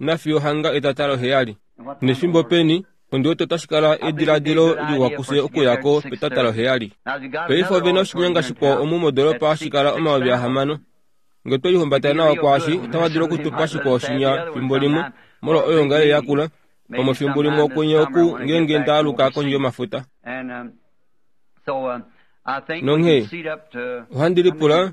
Nafiyo hanga etata loheyali. Nefimbo peni, ondi wete otashi kala ediladilo liwa kufye okuya ko petata loheyali. Paife ove na oshinyanga shikwao omu modolopa hashi kala 6000. Nge otwe lihumbata nawa kwaashi, otava dulu oku tu pa shikwao shinya fimbo limwe, molwa oyoongalele yakula. Pamwe efimbo limwe okwenye oku ngeenge nda aluka kondje yomafuta. Nonghee, ohandi lipula,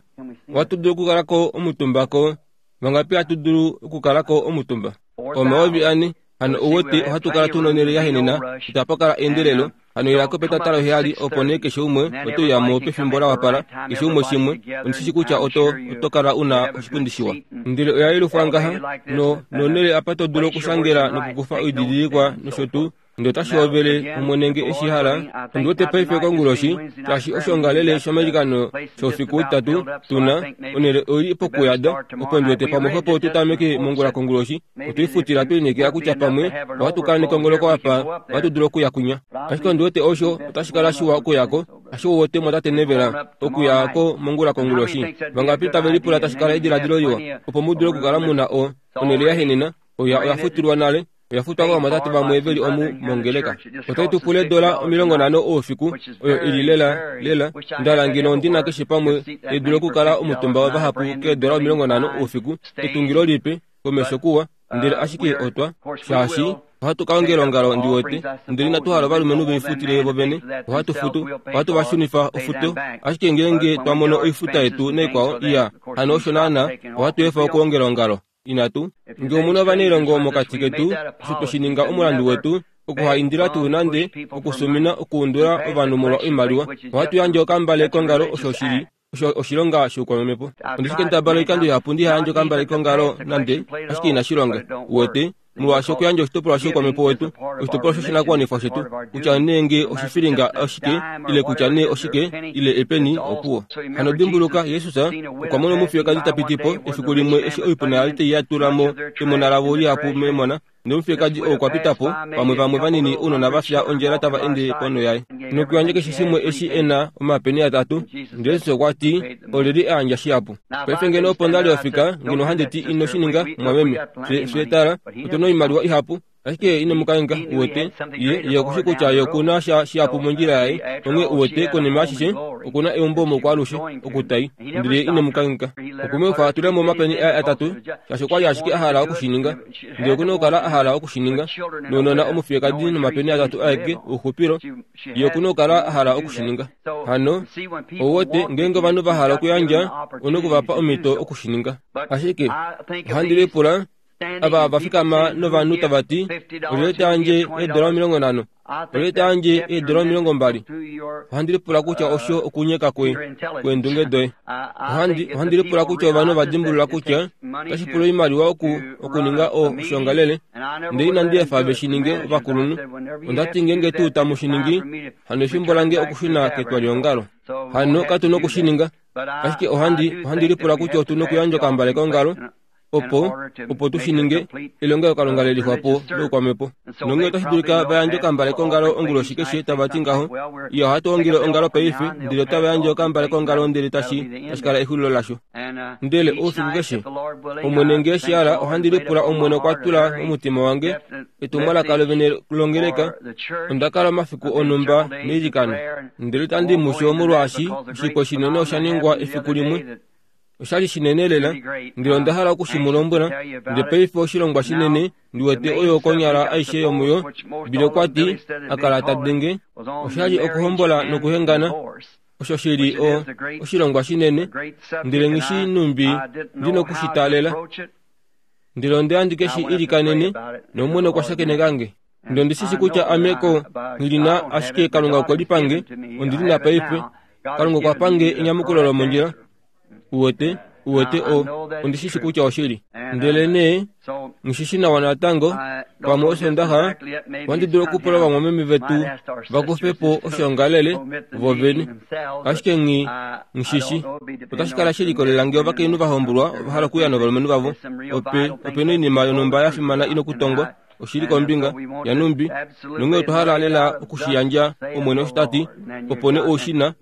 ohatu dulu okukala ko omutumba ko, vangapi hatu dulu okukala ko omutumba? 4000. Hano ou wete ohatu kala tu nonhele ya henena, itapa kala eendelelo. Hano ila ko petata loheyali opo nee keshe umwe ote uya mo pefimbo la wapala, keshe umwe shimwe. Ondi shi shi kutya oto, oto kala u na oshipundi shiwa. Ndele oya yelufwa ngaha, no, nonhele apa to dulu okushangela nokukufa oididilikwa nosho tuu. Ndele otashi hovele Omwene nge e shi hala. Ondi wete paife konguloshi, shaashi oshoongalele shomailikano shoufiku utatu tu na, onhele oi li pokuyada, opo ndi wete pamwe xwepo tu tameke mongula konguloshi. Otwe lifutila twe lineekela kutya pamwe ohatu kala nekongoloko apa, ohatu dulu okuya kwinya. Ashike ondi wete osho otashi kala shiwa okuya ko, ashike ou wete mwatate Neville, okuya ko mongula konguloshi. Vangapi tave lipula tashi kala ediladilo liwa, opo mu dule okukala mu na o, onhele ya henena? Oya, oya futilwa nale. Oya futwa kovamwatate vamwe ve li omu mongeleka. Otai tu pula eedola 50 oufiku, oyo i li lela, lela, nda hala ngeno ondi na keshe pamwe tai dulu okukala omutumba wavahapu keedola 50 oufiku, etungilo lipe, komesho kuwa, ndele ashike otwa, shaashi ohatu ka ongela ongalo ndi wete, ndele inatu hala ovalumenhu ve ifutile vo vene, ohatu futu, ohatu va shunifa ofuto, ashike ngeenge twa mono oifuta yetu naikwao, iya, hano osho naana, ohatu efa okuongela ongalo. Inatu. Nge omu na ovanailongo mokati ketu, osho twe shi ninga omulandu wetu, okuhaindila tuu nande, okusumina okuundula ovanhu molwa oimaliwa. Ohatu yandje okambale kongalo osho shi li osho oshilonga shoukwamhepo. Ondi shi kendabala oikando ihapu ndi ha yandje okambale kongalo nande, ashike inashi longa. Uwete? Molwaashi okuyandja oshitopolwa shoukwamhepo wetu, oshitopolwa shoshinakuwanifwa shetu, kutya nee nge oshifilinga oshike, ile kutya nee oshike, ile epeni, opuwo. Hano dimbuluka, Jesus okwa mona omufiyekadi ta piti po, efiku limwe eshi oipuna ya li tai ya tula mo emona lavo lihapu memona, ndele omufiyekadi oo okwa pita po, pamwe vamwe vanini ounona va fya ondjala tava ende ponho yaye, nokuyandja keshe shimwe eshi e na, omapeni atatu. Ndele Jesus okwa ti, Olyelye a yandja shihapu? Paife ngeno opo nda li ofika, ngeno ohandi ti, Ino shi ninga, mwameme. Fye, fye tala, otu na oimaliwa ihapu. Ashike ino mu kangheka, uwete. Ye, ye oku shi kutya ye oku na sha shihapu mondjila yaye. Onghee, uwete, konima yashishe, oku na eumbo moukwaalushe, oku ta i. Ndele ye ine mu kangheka. Okwe mu efa a tule mo omapeni aye atatu, shaashi okwa li ashike a hala oku shi ninga. Ndele oku na okukala a hala oku shi ninga. Nounona omufiyekadi nomapeni atatu aeke, ouxupilo, ye oku na okukala a hala oku shi ninga. Hano, ou wete, ngeenge ovanhu va hala okuyandja, ou na oku va pa omhito oku shi ninga. Ashike, ohandi lipula, ava va fikama novanhu tava ti, Olyelye ta yandje eedola 50? Olyelye ta yandje eedola 20? Ohandi lipula kutya osho okunyeka kwe, kweendunge doye. Ohandi, ohandi lipula kutya ovanhu ova dimbulula kutya otashi pula oimaliwa oku, okuninga o, oshoongalele, ndele inandi efa ve shi ninge ovakulunhu. Onda ti ngeenge tuu tamu shi ningi, hano efimbo lange okushuna ketwaliongalo. Hano katu noku shi ninga. Ashike ohandi, ohandi lipula kutya otu nokuyandja okambale kongalo, opo, opo tu shi ninge, elongelokalunga le lixwa po loukwamhepo. Nonghee otashi dulika va yandje okambale kongalo onguloshi keshe, tava ti ngaho, Iya, ohatu ongele ongalo paife, ndele otava yandje okambale kongalo ndele tashi, tashi kala exulilo lasho. Ndele oufiku keshe, Omwene nge eshi hala, ohandi lipula Omwene okwa tula momutima wange etumwalaka lovene longeleka. Onda kala omafiku onhumba meilikano. Ndele itandi mu sho molwaashi oshikwa shinene osha ningwa efiku limwe. Osha li shinene lela, ndele onda hala oku shi mu lombwela. Ndele paife oshilongwa shinene, ndi wete oyo konyala aishe yomuyo, Billy okwa ti, a kala ta denge, osha li okuhombola nokuhengana, osho shi li o, oshilongwa shinene, ndele nghi shi numbi ndi noku shi taalela. Ndele onda ya ndi ke shi ilikanene, nOmwene okwa shakeneka nge. Ndele ondi shi shi kutya ame ko nghi li na, ashike Kalunga okwe li pa nge, ondi li na paife. Kalunga okwa pa nge enyamukulo lomondjila. Uwete, uwete, o, ondi shi shi kutya oshili. Ndele nee, nghi shi shi nawa natango, pamwe Osondaxa, ohandi dulu okupula ovamwameme vetu va kufe po oshoongalele vo vene. Ashike nghi, nghi shi shi. Otashi kala she likolelela ngee ovakainhu va hombolwa ova hala okuya novalumenhu vavo. Ope, ope na oinima yonhumba ya fimana i na okutongwa. Oshili kombinga yanumbi, nonghee otwa hala lela oku shi yandja Omwene osho ta ti, opo nee ou shi na,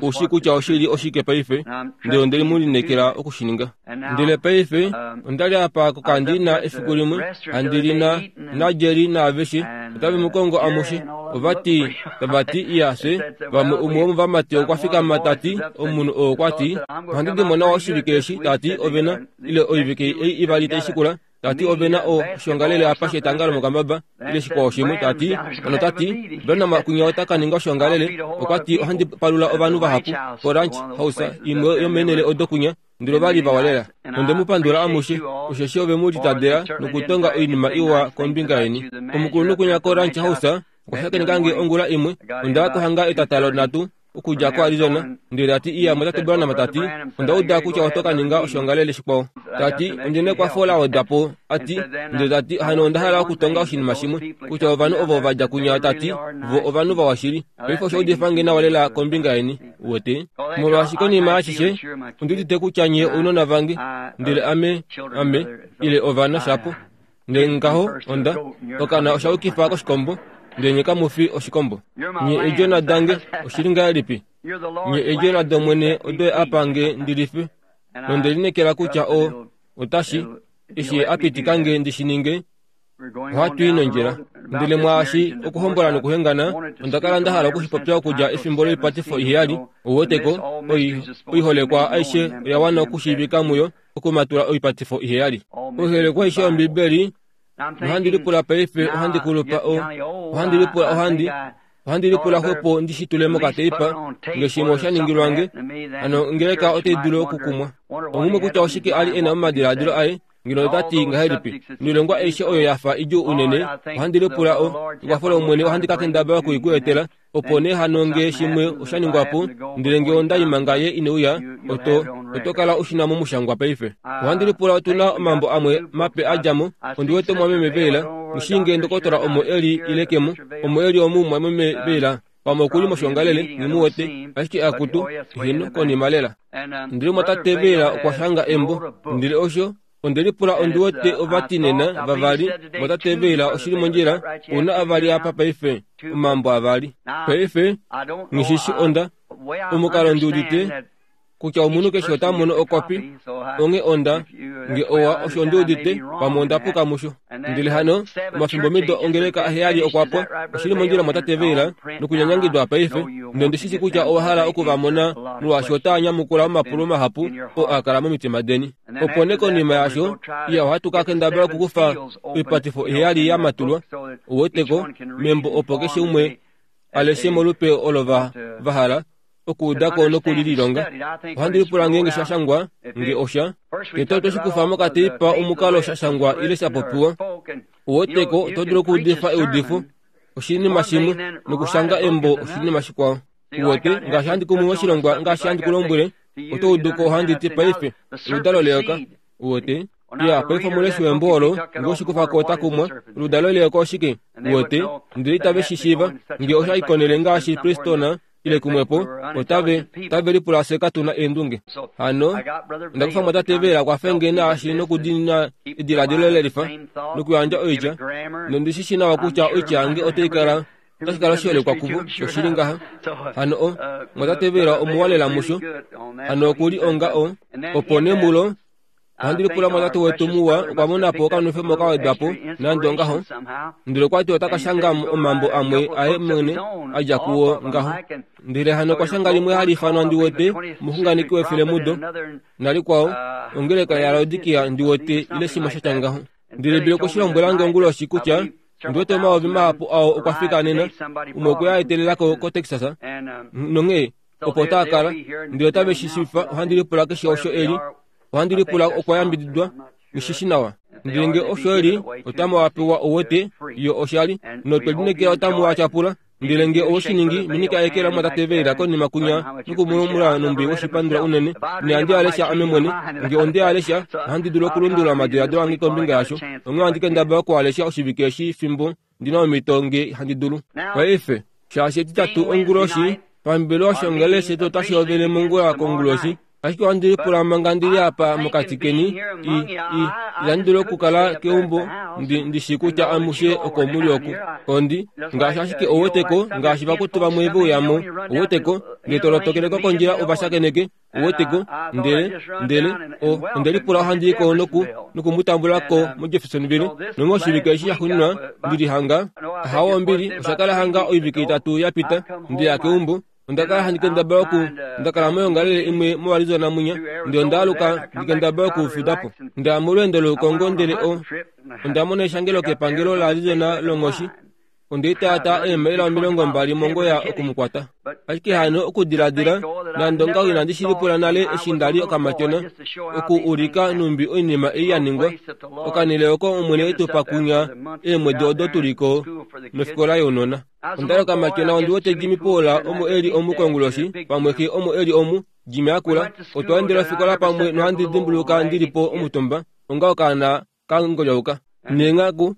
ou shii kutya oshi li oshike paife, ndele onde mu lineekela oku shi ninga. Ndele paife, onda li apa kokandiina efiku limwe, handi li na, naJerry naaveshe, otave mu kongo amushe. Ova ti, tava ti, Iya, fye, vamwe umwe womovamati okwa fikama ta ti, omunhu oo okwa ti, Ohandi di mo nawa oshivike eshi, ta ti, ove na, ile oivike ei ivali tai shikula. Ta ti ove na o, oshiongalele apa shetanga lomokambaba, ile shikwao shimwe. Ta ti, hano ta ti, Branham kwinya ota ka ninga oshiongalele. Okwa ti ohandi palula ovanhu vahapu koRanch House, imwe yomeenhele odo kwinya. Ndele ova li vawa lela. Nonde mu pandula amushe, osheshi ove mu litadela nokutonga oinima iwa kombinga yeni. Omukulunhu kwinya koRanch House okwa shakeneka nge ongula imwe. Onda ya ko hanga etatalo nhatu okudja koArizona, ndele ta ti, Iya, Mwatate Branham, ta ti, onda uda kutya oto ka ninga oshiongalele shikwao. Ta ti, Ondi nekwafo la wedwa po, a ti, ndele ta ti, hano onda hala okutonga oshinima shimwe, kutya ovanhu ovo va dja kunya, ta ti, vo ovanhu vawa shili. Paife osha udifa nge nawa lela kombinga yeni, uwete. Molwaashi konima yaashishe, ondi udite kutya nye ounona vange, ndele ame, ame, ile ovana shapo. Ndele ngaho onda, okana osha yukifa koshikombo, ndele nye kamu fi oshikombo. Nye eedjona dange, oshili ngahelipi? Nye eedjona dOmwene odo Ye a pa nge ndi life, nonde lineekela kutya o, otashi, eshi Ye a pitika nge ndi shi ninge, ohatu i nondjila. Ndele mwaashi okuhombola nokuhengana, onda kala nda hala oku shi popya okudja efimbo loipatifo iheyali, ou weteko, oi, oiholekwa aishe oya wana okushiivika muyo, okumatula oipatifo iheyali. Oiholekwa aishe yOmbibeli, nohandi lipula paife, ohandi kulupa, o, ohandi lipula, ohandi, ohandi lipula xwepo ndi shi tule mokateipa, nge shimwe osha ningilwa nge, hano ongeleka otai dulu okukumwa. Omumwe kutya oshike a li e na momadiladilo aye, ngeno ota ti ngahelipi, Noilongwa aishe oyo ya fa idjuu unene, ohandi lipula o, ekwafo lOmwene ohandi ka kendabala oku i ku etela, Opo nee hano nge shimwe osha ningwa po, ndele nge onda i manga ye ine uya, oto, oto kala u shi na momushangwa paife. Ohandi lipula otu na omambo amwe mape a dja mo. Ondi wete omumwameme Veila. Nghi shii nge ndokotola omo e li ile ke mo. Omo e li omu, mumwameme Veila. Pamwe oku li moshiongalele, nghi mu wete. Ashike akutu, heeno, konima lela. Ndele omumwatate Veila okwa shanga embo. Ndele osho, Onde lipula ondi wete ova ti nena vavali motate Veila oshili mondjila una avali apa paife omambo avali paife nghishishi onda omukalo ndi udite kutya omunhu keshe ota mono okopi onge onda nge owa osho ndi udite pamwe onda puka musho ndele hano omafimbo mido ongeleka aheyali okwa pwa oshili mondjila motate Veila nokunyanyangidwa paife nondi shi shi kutya owa hala oku va mona molwaashi otaa nyamukula omapulo mahapu oo a kala momitima deni Opo nee konima yaasho, iya ohatu ka kendabala okukufa oipatifo iheyali ya matulwa, u weteko, membo opo keshe umwe a leshe molupe olo va, va hala okuuda ko noku li lilonga. Ohandi lipula ngeenge sha shangwa, nge osha. Tete otwe shi kufa mokateipa omukalo sha shangwa ile sha popiwa. U weteko, oto dulu okuudifa eudifo, oshinima shimwe, nokushanga embo oshinima shikwao. U wete, ngaashi handi kumu moshilongwa ngaashi handi ku lombwele, Oto udu ko ohandi ti paife, oludalo leyoka. U wete? Ya, paife omuleshi wembo olo, nge oshikufa ko ota kumwa, oludalo leyoka oshike? U wete? Ndele itave shi shiiva. Nge osha i konhele ngaashi Pristona, ile kumwepo, otave, otave lipula fye katu na eendunge. Hano, onda kufa mwatate Veera kwafe nge naashi nokudiinina ediladilo lelifa, nokuyandja oitya, nondi shi shii nawa kutya oitya yange otai kala Otashi kala oshiholekwa kuvo, shoshili ngaha. Hano o, mwatate Veera omuwa lela musho. Hano oku li onga o, opo nee mulo, ohandi lipula mwatate wetu muwa okwa mona po okanwefemo ka wedwa po, nande ongaho. Ndele okwa ti ota ka shanga omambo amwe aye mwene a dja kuwo ngaho. Ndele hano okwa shanga limwe hali ifanwa ndi wete, Omuxunganeki wefelemudo, nalikwao, Ongeleka yaLaodikia ndi wete, ile shimwe sha tya ngaho. Ndele Bill okwe shi lombwela nge onguloshi kutya Ondi wete omayovi mahapu ao okwa fika nena, umwe okwe a etelela ko koTexas, nonghee opo otaa kala. Ndele otave shi shifa, ohandi lipula keshe osho e li, ohandi lipula okwa yambididwa, nghi shi nawa. Ndele nge osho e li, otamu a pewa ouwete, yo oshali, notwe lineekela otamu a tyapula. Ndele nge owe shi ningi, minika eke lamwatate Veila konima kunya nokumulumula nombi woshipandula unene. Nohandi a lesha ame mwene. Nge onde a lesha, ohandi dulu okulundulula omadiladilo ange kombinga yasho. Onghee ohandi kendabala oku a lesha oshivike eshi fimbo ndi na omhito nge handi dulu. Paife, shaashi Etitatu onguloshi, pambelewa oshiongalele shetu otashi hovele mongula konguloshi. Ashike ohandi lipula manga ndi li apa mokati keni, i, i, itandi dulu okukala keumbo ndi, ndi shii kutya amushe oko mu li oku. Ondi, ngaashi ashike ou wete ko, ngaashi vakutu vamwe ve uya mo, ou wete ko, nge to lotokele ko kondjila u va shakeneke, ou wete ko, ndele, ndele, o, onde lipula ohandi i ko noku, noku mu tambula ko moJeffersonville, nonghee oshivike eshi shaxuuninwa ndi li hanga, ahawo ombili, osha kala hanga oivike itatu ya pita, nde ya keumbo. Onda kala handi kendabala oku onda kala moyongalele imwe moArizona mwinya, ndele onda aluka ndi kendabala oku fuda po. Nda ya molweendo loukongo ndele o, onda mona eshangelo kepangelo laArizona longhoshi. Onde itaata eemaila 20 mongoya oku mu kwata. Ashike hano okudiladila, nande ongaho inandi shi lipula nale eshi nda li okamatyona, oku ulika nhumbi oinima ei ya ningwa, okanhele oko Omwene e tu pa kunya eemwedi odo tu li ko nofikola younona. Onda li okamatyona ondi wete Jimmy Paul omo e li omu konguloshi, pamwe xe omo e li omu, Jimmy akula. Otwa endela ofikola pamwe nohandi dimbuluka ndi li po omutumba, onga okaana ka ngolyauka. Neenghaku,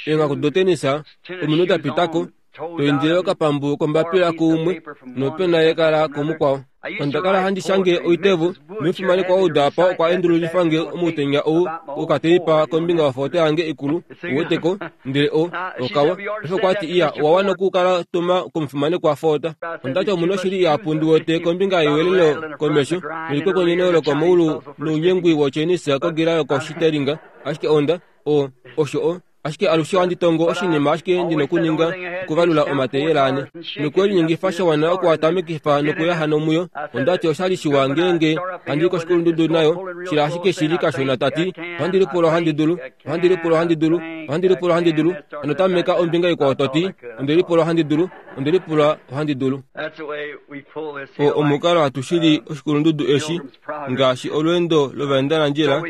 eenghaku dotenisa, ominute da pita ko, to indile okapambu kombapila kuumwe nopena yekala kumukwao. Onda kala handi shange oitevo, nomufimanekwa ou daapa okwa endululifa nge omutenya ou wokateipa kombinga yofoto yange ikulu, uweteko, ndele o, okawa. Paife okwa ti, Iya, owa wana okukala tuma komufimanekwa Ford. Onda ti, Omu na oshili ihapu ndi wete kombinga yewelelo komesho, nelikwekweneno lokomaulu nounyengwi woChinese kogila yokoshiteringa, ashike onda, o, osho o, Ashike alushe ohandi tongo oshinima ashike ndi nokuninga okuvalula omateyela ane nokwe linyengifa sha wana oku a tamekifa nokuya hano muyo. Onda ti osha li shiwa ngeenge handi i koshikulundudu nayo, shila ashike shi li kashona ta ti, Ohandi lipula ohandi dulu, ohandi lipula ohandi dulu, ohandi lipula ohandi dulu. Hano tameka ombinga ikwao to ti, Onde lipula ohandi dulu, onde lipula ohandi dulu. O omukalo hatu shili oshikulundudu eshi, ngaashi olweendo lovaendanandjila,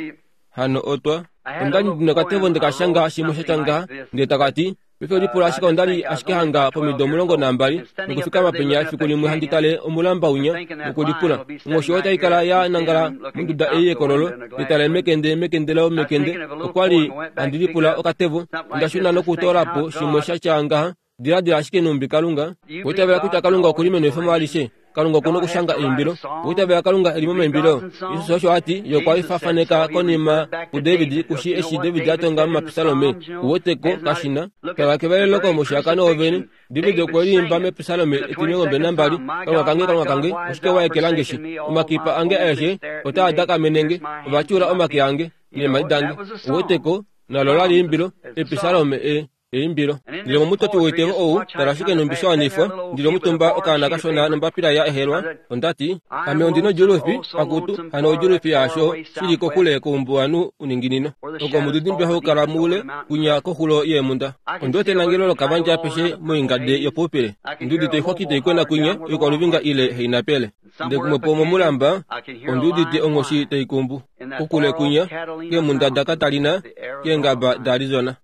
Hano otwa. Onda li ndi nokatevo nde ka shanga shimwe sha tya ngaha, ndele taka ti, Paife lipula ashike onda li ashike hanga pomido 12, nokufikama penya efiku limwe handi tale omulamba winya, nokulipula, Onghoshi otai kala ya nangala monduda ei yekololo, nde tale mekende, mekende lomekende. Okwa li handi lipula okatevo. Onda shuna nokutoola po shimwe sha tya ngaha, Diladila ashike nhumbi Kalunga. Owa itavela kutya Kalunga oku li menwefemo alishe? Kalunga oku na okushanga eimbilo. Owa itavela Kalunga e li momaimbilo? Jesus osho a ti, Ye okwa lifafaneka konima kuDavid, ku shii eshi David a tonga momapisalome. U wete ko, kashi na. Tala kevalelo komushiyakano wovene. David okwe liimba mepisalome etimilongombali nambali, Kalunga kange, Kalunga kange, oshike wa ekela nge shi? Omakipa ange aeshe otaa dakamene nge, ova tyuula omake ange neemhadi dange. U wete ko, nalo ola li eimbilo, episalome e. Eimbilo. Ndele momutoti woitevo ou, tala ashike nhumbi sha wanifwa, ndi li omutumba okaana kashona nombapila ya ehelwa, onda ti, Ame ondi nodjuulufi, akutu, hano odjuulufi yaasho shi li kokule koumbuwanhu uninginino, oko omudidimbe hau kala muule, kwinya koxulo yeemhunda. Ondi wete enangelo lokavandje apeshe moingade yopoupile. Ondi udite oixwaki tai kwena kwinya, oikwaluvinga ile hainapele. Ndele kumwe po momulamba, ondi udite onghoshi tai kumbu. Kokule kwinya, keemhunda daKatalina, keengaba daArizona.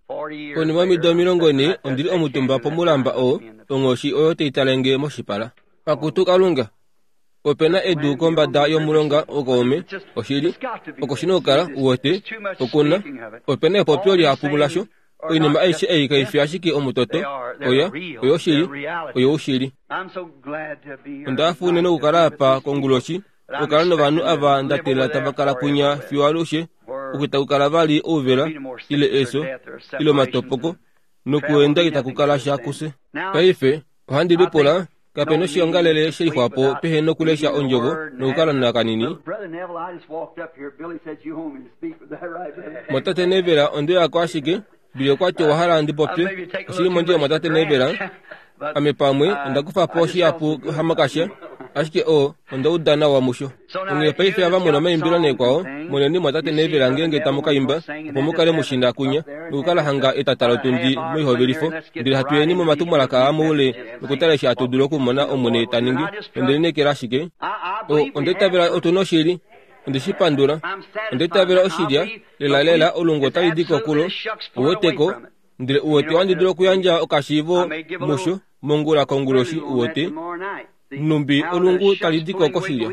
Konima yomido 40 ondi li omutumba pomulamba oo, onghoshi oyo tai tale nge moshipala. Akutu Kalunga, ope na edu kombada yomulonga wokaume, oshili, oko shi na okukala, u wete, oku na, ope na epopyo lihapu lasho. Oinima aishe ei kai fi ashike omutoto, oya, oyoshili, oyoushili. Onda hafa unene okukala apa konguloshi, okukala novanhu ava nda teelela tava kala kwinya fiyo alushe, oku itaku kala vali ouvela, ile efyo, ile omatopoko, nokuenda itaku kala sha kufye. Paife, ohandi lipula, kape noshiongalele she lixwapo pehe nokulesha Ondjovo nokukala na kanini. Mwatate Neville, onde uya ko ashike, Billy okwa ti owa hala ndi popye. Oshi li mondjila, Mwatate Neville. Ame pamwe onda kufa po shihapu hamakasha, ashike o, onda uda nawa musho. Onghee paife ava mu na omaimbilo neekwao, moneni mwatate Neville ngeenge tamu ka imba, opo mu kale mu shi nakunya, nokukala hanga etata lotundi moihovelifo, ndele hatu yeni momatumwalaka aa moule nokutala eshi hatu dulu okumona Omwene ta ningi. Nonde lineekela ashike. O, onda itavela otu noshili. Onde shi pandula. Onda itavela oshilya, lelalela, olungu otali di kokulo. Uweteko? Ndele uwete ohandi dulu okuyandja okashiivo musho mongula konguloshi, uwete, nhumbi olungu tali di ko koshilya.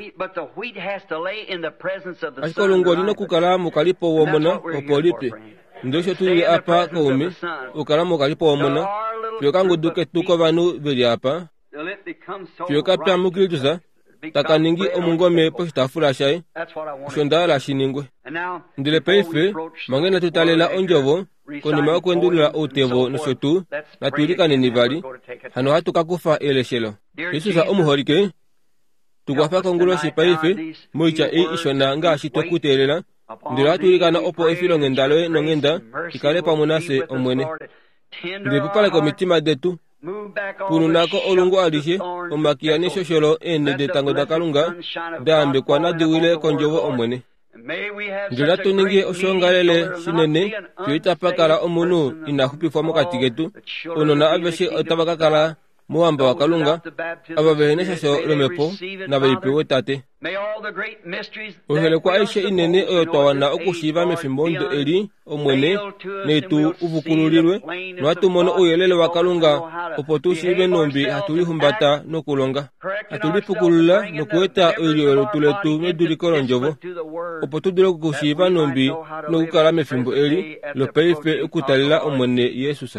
Ashike olungu oli nokukala mokalipo womona opo li pye. Ndele osho tu lile apa kaume, okukala mokalipo womona, fiyo okangudu ketu kovanhu ve li apa, fiyo ka pya muKristus, taka ningi omungome poshitaafula shaye. Osho nda hala shi ningwe. Ndele paife, manga inatu taalela Ondjovo, konima yokuendulula outevo nosho tuu, natu ilikaneni vali, hano ohatu ka kufa eleshelo. Jesus omuholike, tu kwafa konguloshi paife, moitya ei ishona ngaashi twe ku teelela, ndele ohatu ilikana opo efilonghenda loye nonghenda i kale pamwe nafye, Omwene. Ndele pupaleka omitima detu. Pununa ko olungu alishe, omakiya neshosholo eenhe detango daKalunga da yambekwa nadi wile kondjovo Omwene. Ndele natu ninge oshoongalele shinene fiyo itapa kala omunhu ina xupifwa mokati ketu. Ounona aveshe otava ka kala mouhamba waKalunga, ava vehe neshasho lomhepo nave li pewe Tate. Oiholekwa aishe inene oyo twa wana okushiiva mefimbomudo eli, Omwene, nai tu uvukululilwe, nohatu mono ouyelele waKalunga opo tu shiive nhumbi hatu lihumbata nokulonga, hatu lipukulula nokueta oilyo yolutu letu meduliko lOndjovo, opo tu dule okushiiva nhumbi nokukala mefimbo eli lopaife okutalela Omwene Jesus.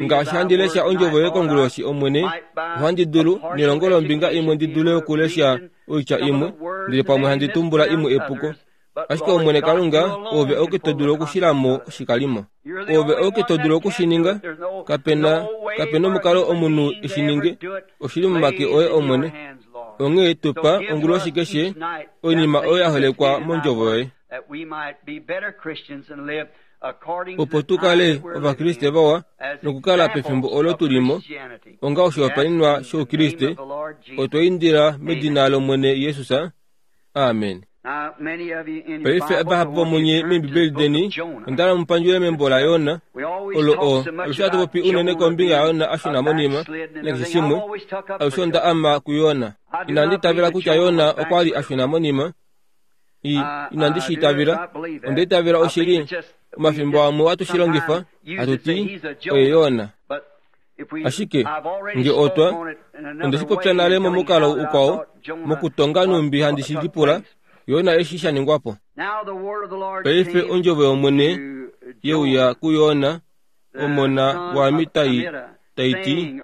Ngaashi handi lesha ondjovo yoye konguloshi, Omwene, ohandi dulu, nelongo lombinga imwe ndi dule okulesha oitya imwe, ndele pamwe handi tumbula imwe epuko. Ashike Omwene Kalunga, Oove auke to dulu okushila mo oshikalimo. Oove auke to dulu oku shi ninga. Kape na, kape nomukalo omunhu e shi ninge. Oshi li momake oye, Omwene. Onghee tu pa, onguloshi keshe, oinima oyo ya holekwa mOndjovo yoye. Opo tu kale Ovakriste vawa nokukala pefimbo olo tu li mo, onga oshihopaenenwa shOukriste, otwa indila medina lOmwene Jesus. Amen. Paife vahapu vomunye mEembibeli deni onda hala mu pandjule membo laJona, olo o, alushe hatu popi unene kombinga yaJona a shuna monima, nakeshe shimwe, alushe onda ama kuJona. Inandi itavela kutya Jona okwa li a shuna monima. I, inandi shi itavela. Onda itavela oshili. Omafimbo amwe ohatu shi longifa, hatu ti, Oye Jona. Ashike, nge otwa, onde shi popya nale momukalo ukwao, mokutonga nhumbi handi shi lipula, Jona eshi sha ningwa po. Paife ondjovo yOmwene ye uya kuJona, omona waAmittai, tai ti,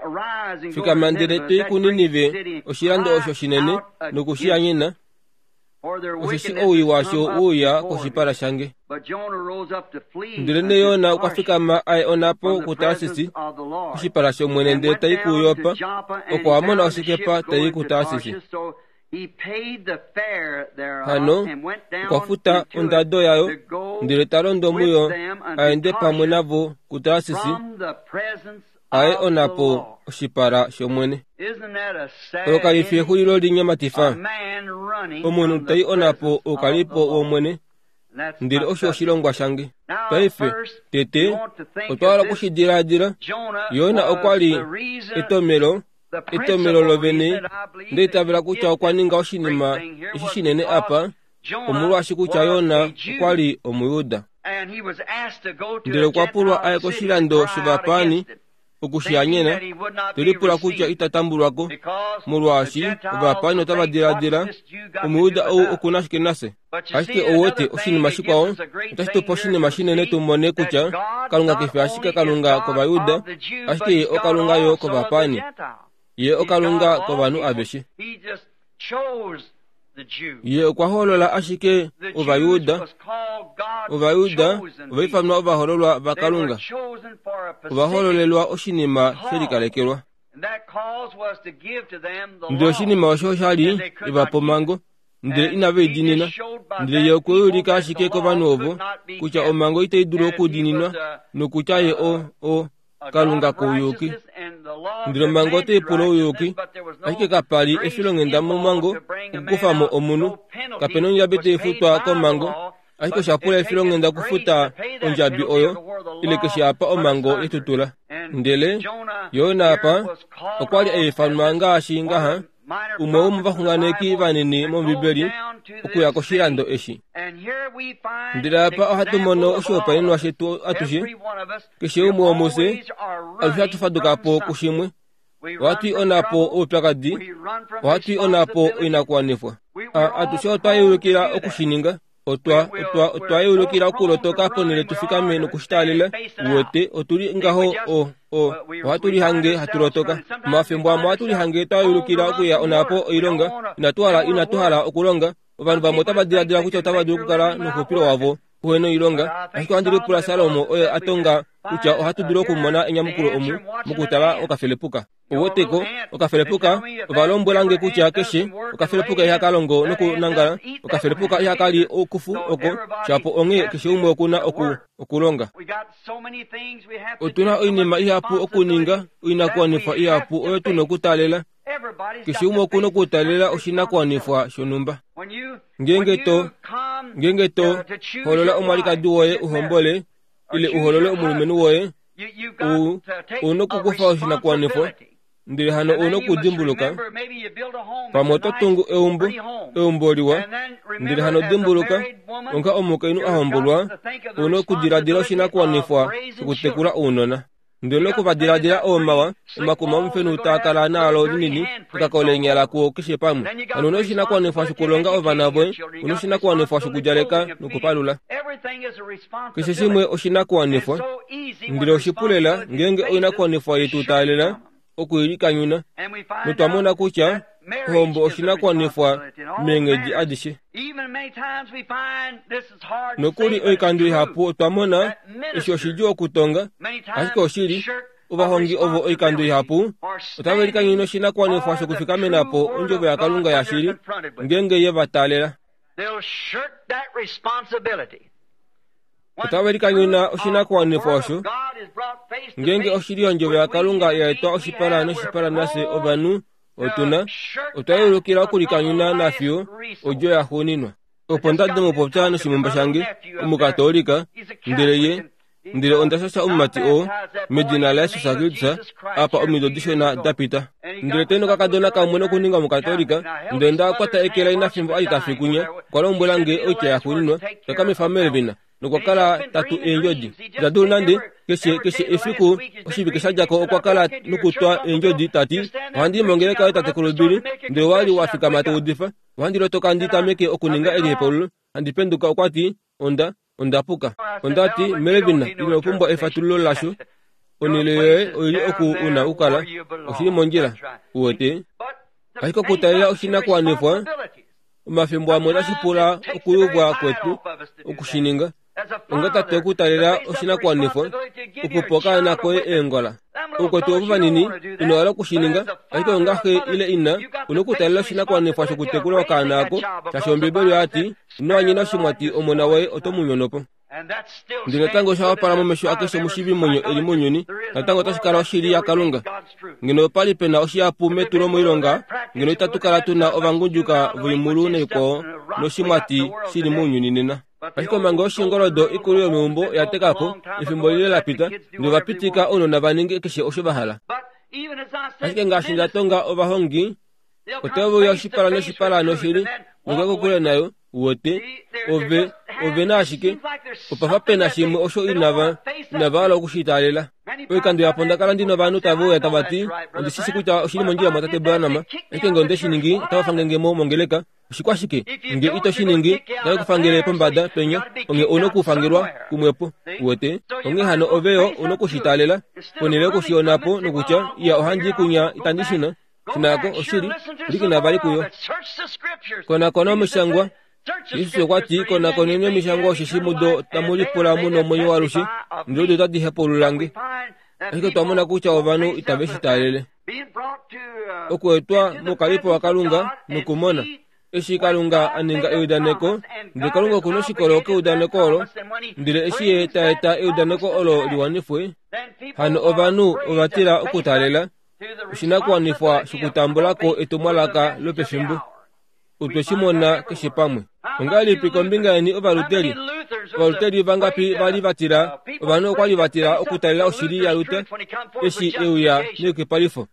Fikama ndele to i kuNinive, oshilando osho shinene, noku shi anyena, osheshi owii washo we uya koshipala shange. Ndelenee Jona okwa fikama a ye onhapo kuTarsis koshipala shOmwene ndele ta i kuJoppa, oko a mona oshikepa tai i kuTarsis. Hano okwa futa ondado yayo ndele ta londo muyo a ende pamwe navo kuTarsis, a ye onhapo oshipala shOmwene. Olo kali fi exulilo li nyamatifa? Omunhu ta i onhapo oukalipo wOmwene, ndele osho oshilongwa shange. Paife, tete, otwa hala oku shi diladila. Jona okwa li etomelo, etomelo lovene, nda itavela kutya okwa ninga oshinima eshi shinene apa, omolwaashi kutya Jona okwa li Omujuda. Ndele okwa pulwa a ye koshilando shovapaani oku shi hanyena, te lipula kutya ita tambulwa ko, molwaashi ovapaani otava diladila, Omujuda ou oku na shike nafye? Ashike ou wete, oshinima shikwao, otashi tu pe oshinima shinene tu mone kutya Kalunga ke fi ashike Kalunga kOvayuda, ashike Ye oKalunga yo kovapaani. Ye oKalunga kovanhu aveshe. Ye okwa hoolola ashike Ovajuda. Ovajuda ova ifanwa ovahoololwa vaKalunga. Ova hoololelwa oshinima she likalekelwa. Ndele oshinima osho osha li eva pa omhango, ndele inave i diinina. Ndele ye okwe ulika ashike kovanhu ovo kutya omhango itai dulu okudiininwa nokutya ye o, o, Kalunga kouyuki. Ndele omhango otai pula ouyuki, ashike kapa li efilonghenda momhango okukufa mo omunhu. Kape na ondjabi tai futwa komhango, ashike osha pula efilonghenda okufuta ondjabi oyo, ile keshe apa omhango ye tu tula. Ndele Jona apa okwa li a ifanwa ngaashi ngaha, umwe womovaxunganeki vanini mOmbibeli, okuya koshilando eshi. Ndele apa ohatu mono oshihopaenenwa shetu atushe, keshe umwe womufye, alushe hatu faduka po kushimwe. Ohatu i onhapo oupyakadi, ohatu i onhapo oinakuwanifwa. Atushe otwa yeulukila oku shi ninga. Otwa, otwa, otwa yeulukila okulotoka ponhele tu fikame noku shi taalela. Uwete, otu li ngaho, o, o, ohatu lihange hatu lotoka. Omafimbo amwe ohatu lihange twa yeulukila okuya onhapo oilonga. Inatu hala, inatu hala okulonga. Ovanhu vamwe otava diladila kutya otava dulu okukala nouxupilo wavo. Uhe noilonga, ashike ohandi lipula Salomo oye a tonga kutya ohatu dulu okumona enyamukulo omu mokutala okafelepuka. Ouweteko, okafelepuka, ova lombwela nge kutya keshe okafelepuka ihaka longo nokunangala, okafelepuka ihaka li okufu oko, shapo onghee keshe umwe oku na oku, okulonga. Otu na oinima ihapu okuninga, oinakuwanifwa ihapu oyo tu na okutaalela. Keshe umwe oku na okutaalela oshinakuwanifwa shonhumba. Ngeenge to, ngeenge to hoolola omwalikadi woye u hombole, ile u hoolole omulumenhu woye, u, u nokukufa oshinakuwanifwa, ndele hano u nokudimbuluka, pamwe oto tungu eumbo, eumbo liwa, ndele hano dimbuluka, onga omukainhu a hombolwa, u nokudiladila oshinakuwanifwa shokutekula ounona. Ndele noku va diladila oomawa, omakuma omufenhu taa kala naalo linini, ekako leenyala kuo keshe pamwe. Hano una oshinakuwanifwa shokulonga ovana voye, una oshinakuwanifwa shokudjaleka nokupalula. Keshe shimwe oshinakuwanifwa. Ndele oshipu lela ngeenge oinakuwanifwa yetu taalela oku i likanyuna, notwa mona kutya ohombo oshinakuwanifwa meenghedi adishe. Nokuli oikando ihapu otwa mona eshi oshidjuu okutonga, ashike oshili, ovahongi ovo oikando ihapu otave likanyuna oshinakuwanifwa shokufikamena po ondjovo yaKalunga yashili ngeenge ye va taalela. Otave likanyuna oshinakuwanifwa osho ngeenge oshili yondjovo yaKalunga ya etwa oshipala noshipala nafye ovanhu otu na otwa yeulukila okulikanyuna nafiyo odjo yaxuuninwa. Opo nda di mupopya noshimumba shange Omukatoolika, ndele ye ndele onda shasha omumati oo medina laJesus Kristus apa omido dishona da pita. Ndele teni okakadona kamwe nokuninga Omukatoolika, ndele nda kwata eke laina fimbo a li ta fi kunya, okwa lombwela nge oitya yaxuuninwa, Takamifa Melvin, nokwa kala ta tu eendjodi. Ita dulu nande, keshe, keshe efiku oshivike sha dja ko okwa kala nokutwa eendjodi ta ti, Ohandi i mongeleka yoye tatekulu Billy, ndele owa li wa fikama to udifa. Ohandi lotoka ndi tameke okuninga elihepaululo, handi penduka okwa ti, Onda, onda puka. Onda ti, Melvin, ino pumbwa efatululo lasho. Onhele yoye oi li oku u na okukala. Oshi li mondjila. Uwete? Ashike okutalela oshinakuwanifwa, omafimbo amwe otashi pula okuyuvwa kwetu oku shi ninga. Onga tate okutalela oshinakuwanifwa okupa okaana koye eengola. Oukwetu ovo vanini ino hala oku shi ninga, ashike onga xe ile ina, u na okutalela oshinakuwanifwa shokutekula okaana ako, shaashi Ombiibeli oya ti, Ino anyena oshimwati omona woye oto mu nyono po. Ndele natango osha wapala momesho akeshe omushiivimwenyo e li mounyuni, natango otashi kala oshili yaKalunga. Ngeno opa li pe na oshihapu metulomoilonga, ngeno itatu kala tu na ovangudjuka voimulu naikwao noshimwati shi li mounyuni nena. Ashike omanga oshingoldo ikulu yomeumbo oya teka po efimbo lile la pita, ndele ova pitika ounona va ninge keshe osho va hala. Ashike ngaashi nda tonga ovahongi, otave uya oshipala noshipala noshili nokuya kokule nayo, uwete, ove, ove na ashike, opa fa pe na shimwe osho inava, inava hala oku shi taalela. Oikando yapo nda kala ndi novanhu tave uya tava ti, Ondi shi shi kutya oshi li mondjila mwatate Branham, ashike nge onde shi ningi, otava fange nge mo mongeleka. Oshikwashike? Nge ito shi ningi, otave ku fangele pombada penya, onghee ou nokufangelwa kumwepo. Uwete? Onghee hano ove yo u noku shi taalela, ponhele yoku shi ona po nokutya, Iya, ohandi i kunya, itandi shuna. Shuna ko, oshili, pwilikina vali kuyo. Konakona omishangwa. Jesus okwa ti, Konakoneni omishangwa osheshi mudo tamu lipula mu nomwenyo walushe, ndele odo otadi hepaulula nge. Ashike otwa mona kutya ovanhu itave shi taalele. Okuetwa mokalipo waKalunga nokumona eshi Kalunga a ninga eudaneko, ndele Kalunga oku noshikolo keudaneko olo, ndele eshi ye ta eta eudaneko olo li wanifwe, hano ovanhu ova tila okutaalela oshinakuwanifwa shokutambula ko etumwalaka lopefimbo. Otwe shi mona keshe pamwe. Ongahelipi kombinga yeni Ovaluteri? Ovaluteri vangapi va li va tila? Ovanhu okwa li va tila okutalela oshili yaLuther eshi e uya neyukipalifo.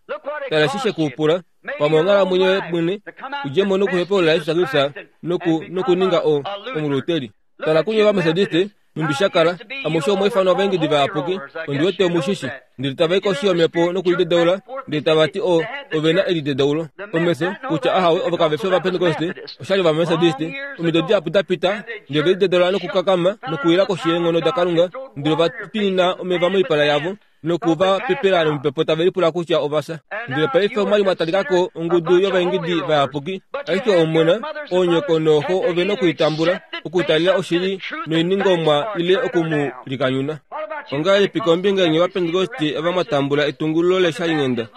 Tala eshi she ku pula, pamwe onghalamwenyo yoye mwene, u dje mo nokuhepaulula Jesus Kristus noku, nokuninga o, Omuluteri. Tala kunye Ovametodiste, nhumbi sha kala, amushe omwa ifanwa ovaengedi vayapuki, ondi wete omu shi shi. Ndele tava i koshi yomhepo nokulidedaula, ndele tava ti o, ove na elidedaulo. Omesho, kutya ahawe, ovo kave fi Ovapentekoste, oshali Ovametodiste. Omido dihapu da pita, ndele ove lidedaula nokukakama, nokuwila koshi yeenghono daKalunga, ndele ova twinina omeva moipala yavo. Noku va pepela nomupepo tave lipula kutya ova fya. Ndele paife omwa li mwa talika ko ongudu yovaingidi vayapuki, ashike omona, oonyoko nooxo ove nokuitambula, okutalela oshili noiningomwa ile oku mu likanyuna. Ongahelipi kombinga yeni Ovapentekoste ava mwa tambula etungululo leshalinghenda?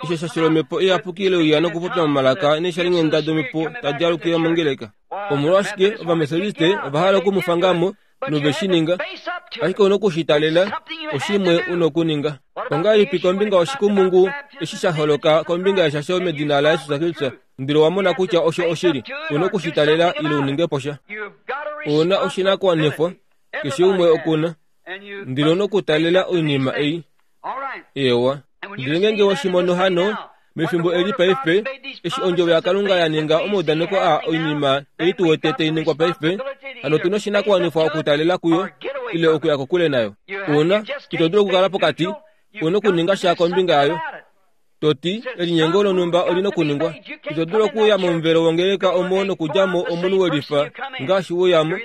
Osho sha shilomhepo iyapuki leuya nokupopya momalaka neeshalinghenda domhepo tadi alukile mongeleka. Omolwashike Ovamethodiste ova hala oku mu fanga mo nove shi ninga? Ashike u noku shi talela, oshimwe u nokuninga. Ongahelipi kombinga yoshikumungu eshi sha holoka kombinga yeshasho medina laJesus Kristus, ndele owa mona kutya osho oshili? U noku shi talela ile u ninge po sha. Ou na oshinakuwanifwa, keshe umwe oku na. Ndele u nokutalela oinima ei. Eewa. Ndele ngeenge we shi mono hano, mefimbo eli paife, eshi Ondjovo yaKalunga ya ninga omaudaneko aa oinima ei tu wete tai ningwa paife, hano otu na oshinakuwanifwa okutalela kuyo ile okuya kokule nayo. Una, ito dulu okukala pokati, u na okuninga sha kombinga yayo. To ti, elinyengo lonhumba oli nokuningwa. Ito dulu okuuya momuvelo wongeleka omo nokudja mo omunhu we lifa ngaashi we uya mo.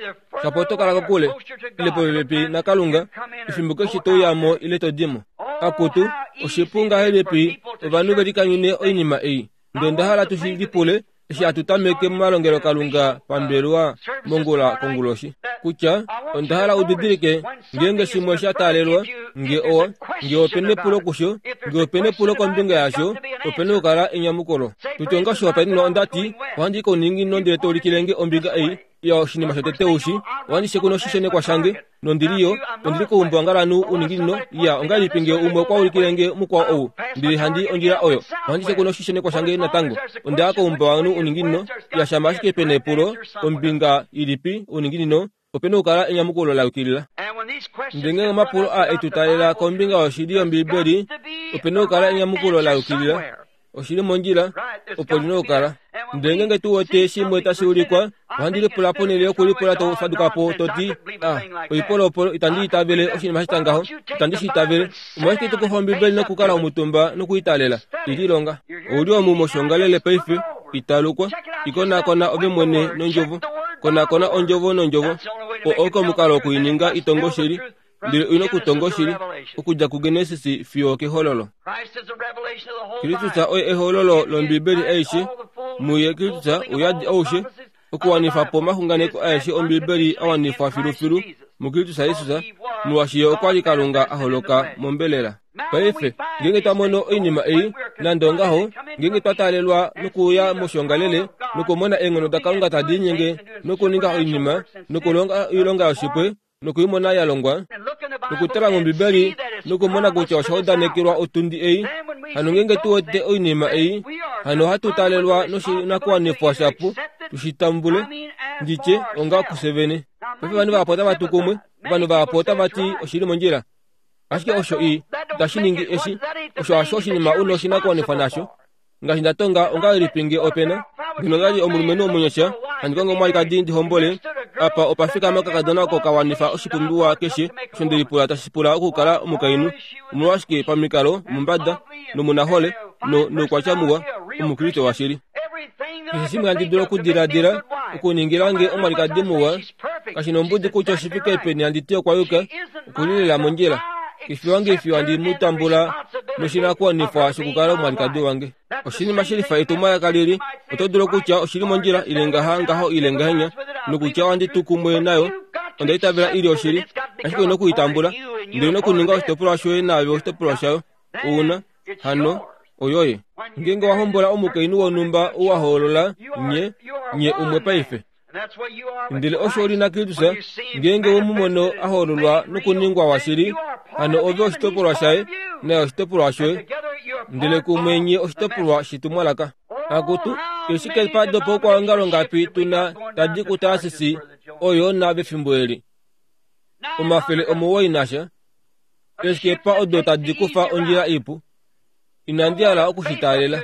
Shapo oto kala kokule, ile popepi naKalunga, efimbo keshe to uya mo ile to di mo. Akutu, oshipu ngahelipi ovanhu ve likanyune oinima ei. Ndele onda hala tu shi lipule eshi hatu tameke momalongelokalunga pambelewa mongula konguloshi, kutya onda hala u didilike ngeenge shimwe sha taalelwa, nge owa, nge ope nepulo kusho, nge ope nepulo kombinga yasho, ope nokukala enyamukulo. Tutye onga oshihopaenenwa onda ti, ohandi i kouninginino ndele to ulikile nge ombinga ei, ya oshinima shotete ushi, ohandi shekuna oshishenekwa shange, nondi li yo, ondi li koumbwangalanhu uninginino, ya, ongahelipi nge umwe okwa ulikile nge mukwao ou, ndele handi ondjila oyo, ohandi shekuna oshishenekwa shange natango, onda ya koumbwangalanhu uninginino, ya shama ashike pe na epulo, ombinga ilipi, uninginino, ope na okukala enyamukulo la yukilila. Ndele ngeenge omapulo aa e tu taalela kombinga yoshili yOmbiibeli, ope na okukala enyamukulo la yukilila. Oshi li mondjila, opo li na okukala. Ndele ngeenge tu wete shimwe tashi ulikwa, ohandi lipula ponhele yokulipula to faduka po to ti, Ah, oipolopolo, itandi itavele oshinima sha tya ngaho. Itandi shi itavele. Omolwashike to kufa Ombibeli nokukala omutumba nokwiitalela? I lilonga. Ou li omu moshiongalele paife, italukwa. I konakona ove mwene nOndjovo. Konakona Ondjovo nOndjovo. Oo oko omukalo woku i ninga i tonge oshili. Ndele oi na okutonga oshili, okudja kuGenesis fiyo okEhololo. Kristus oye ehololo lOmbibeli aishe. Muye Kristus ouyadi aushe, okuwanifa po omaxunganeko aeshe Ombibeli a wanifwa filufilu muKristus Jesus, molwaashi ye okwa li Kalunga a holoka mombelela. Paife, ngeenge twa mono oinima ei, nande ongaho, ngeenge twa taalelwa nokuuya moshiongalele nokumona eenghono daKalunga tadi linyenge nokuninga oinima nokulonga oilonga yoshipwe, noku i mona ya longwa, nokutala mOmbibeli nokumona kutya osha udanekelwa otundi ei, hano ngeenge tu wete oinima ei, hano ohatu taalelwa noshinakuwanifwa shapu tu shi tambule, ndi tye, onga kufye vene. Paife ovanhu vahapu otava tu kumwe, ovanhu vahapu otava ti oshi li mondjila. Ashike osho i, itashi ningi eshi, osho hasho oshinima u na oshinakuwanifwa nasho. Ngaashi nda tonga, ongahelipi nge ope na, ngeno nda li omulumenhu omunyasha, handi kongo omwalikadi ndi hombole, apa opa fikama okakadona oko ka wanifa oshipumbiwa keshe osho nde lipula tashi pula okukala omukainhu, omolwashike pamikalo, omumbada, nomunahole, no, noukwatya muwa, Omukriste washili. Keshe shimwe handi dulu okudiladila okuningila nge omwalikadi muwa, kashi nombudi kutya oshi fike peni handi ti okwa yuka, oku li lela mondjila. Kefi wange fiyo handi mu tambula noshinakuwanifwa shokukala omwalikadi wange. Oshinima shi lifa etumwalaka lili, oto dulu okutya oshi li mondjila ile ngaha ngaho ile ngahenya, nokutya ohandi tu kumwe nayo, onda itavela i li oshili, ashike ou na oku i tambula, ndele nokuninga oshitopolwa shoye naave oshitopolwa shayo. Ou na, hano, oyoye. Ngeenge wa hombola omukainhu wonhumba ou wa hoolola, nye, nye umwe paife. Ndele osho oli naKristus, ngeenge we mu mono a hoololwa nokuningwa washili, hano ove oshitopolwa shaye, naye oshitopolwa shoye, ndele kumwe nye oshitopolwa shetumwalaka. Akutu, eeshikepa dopaukwaongalo ngapi tu na tadi kuTarsis oyo na vefimbo eli? 900 nasha. Eeshikepa odo tadi kufa ondjila ipu. Inandi hala oku shi taalela.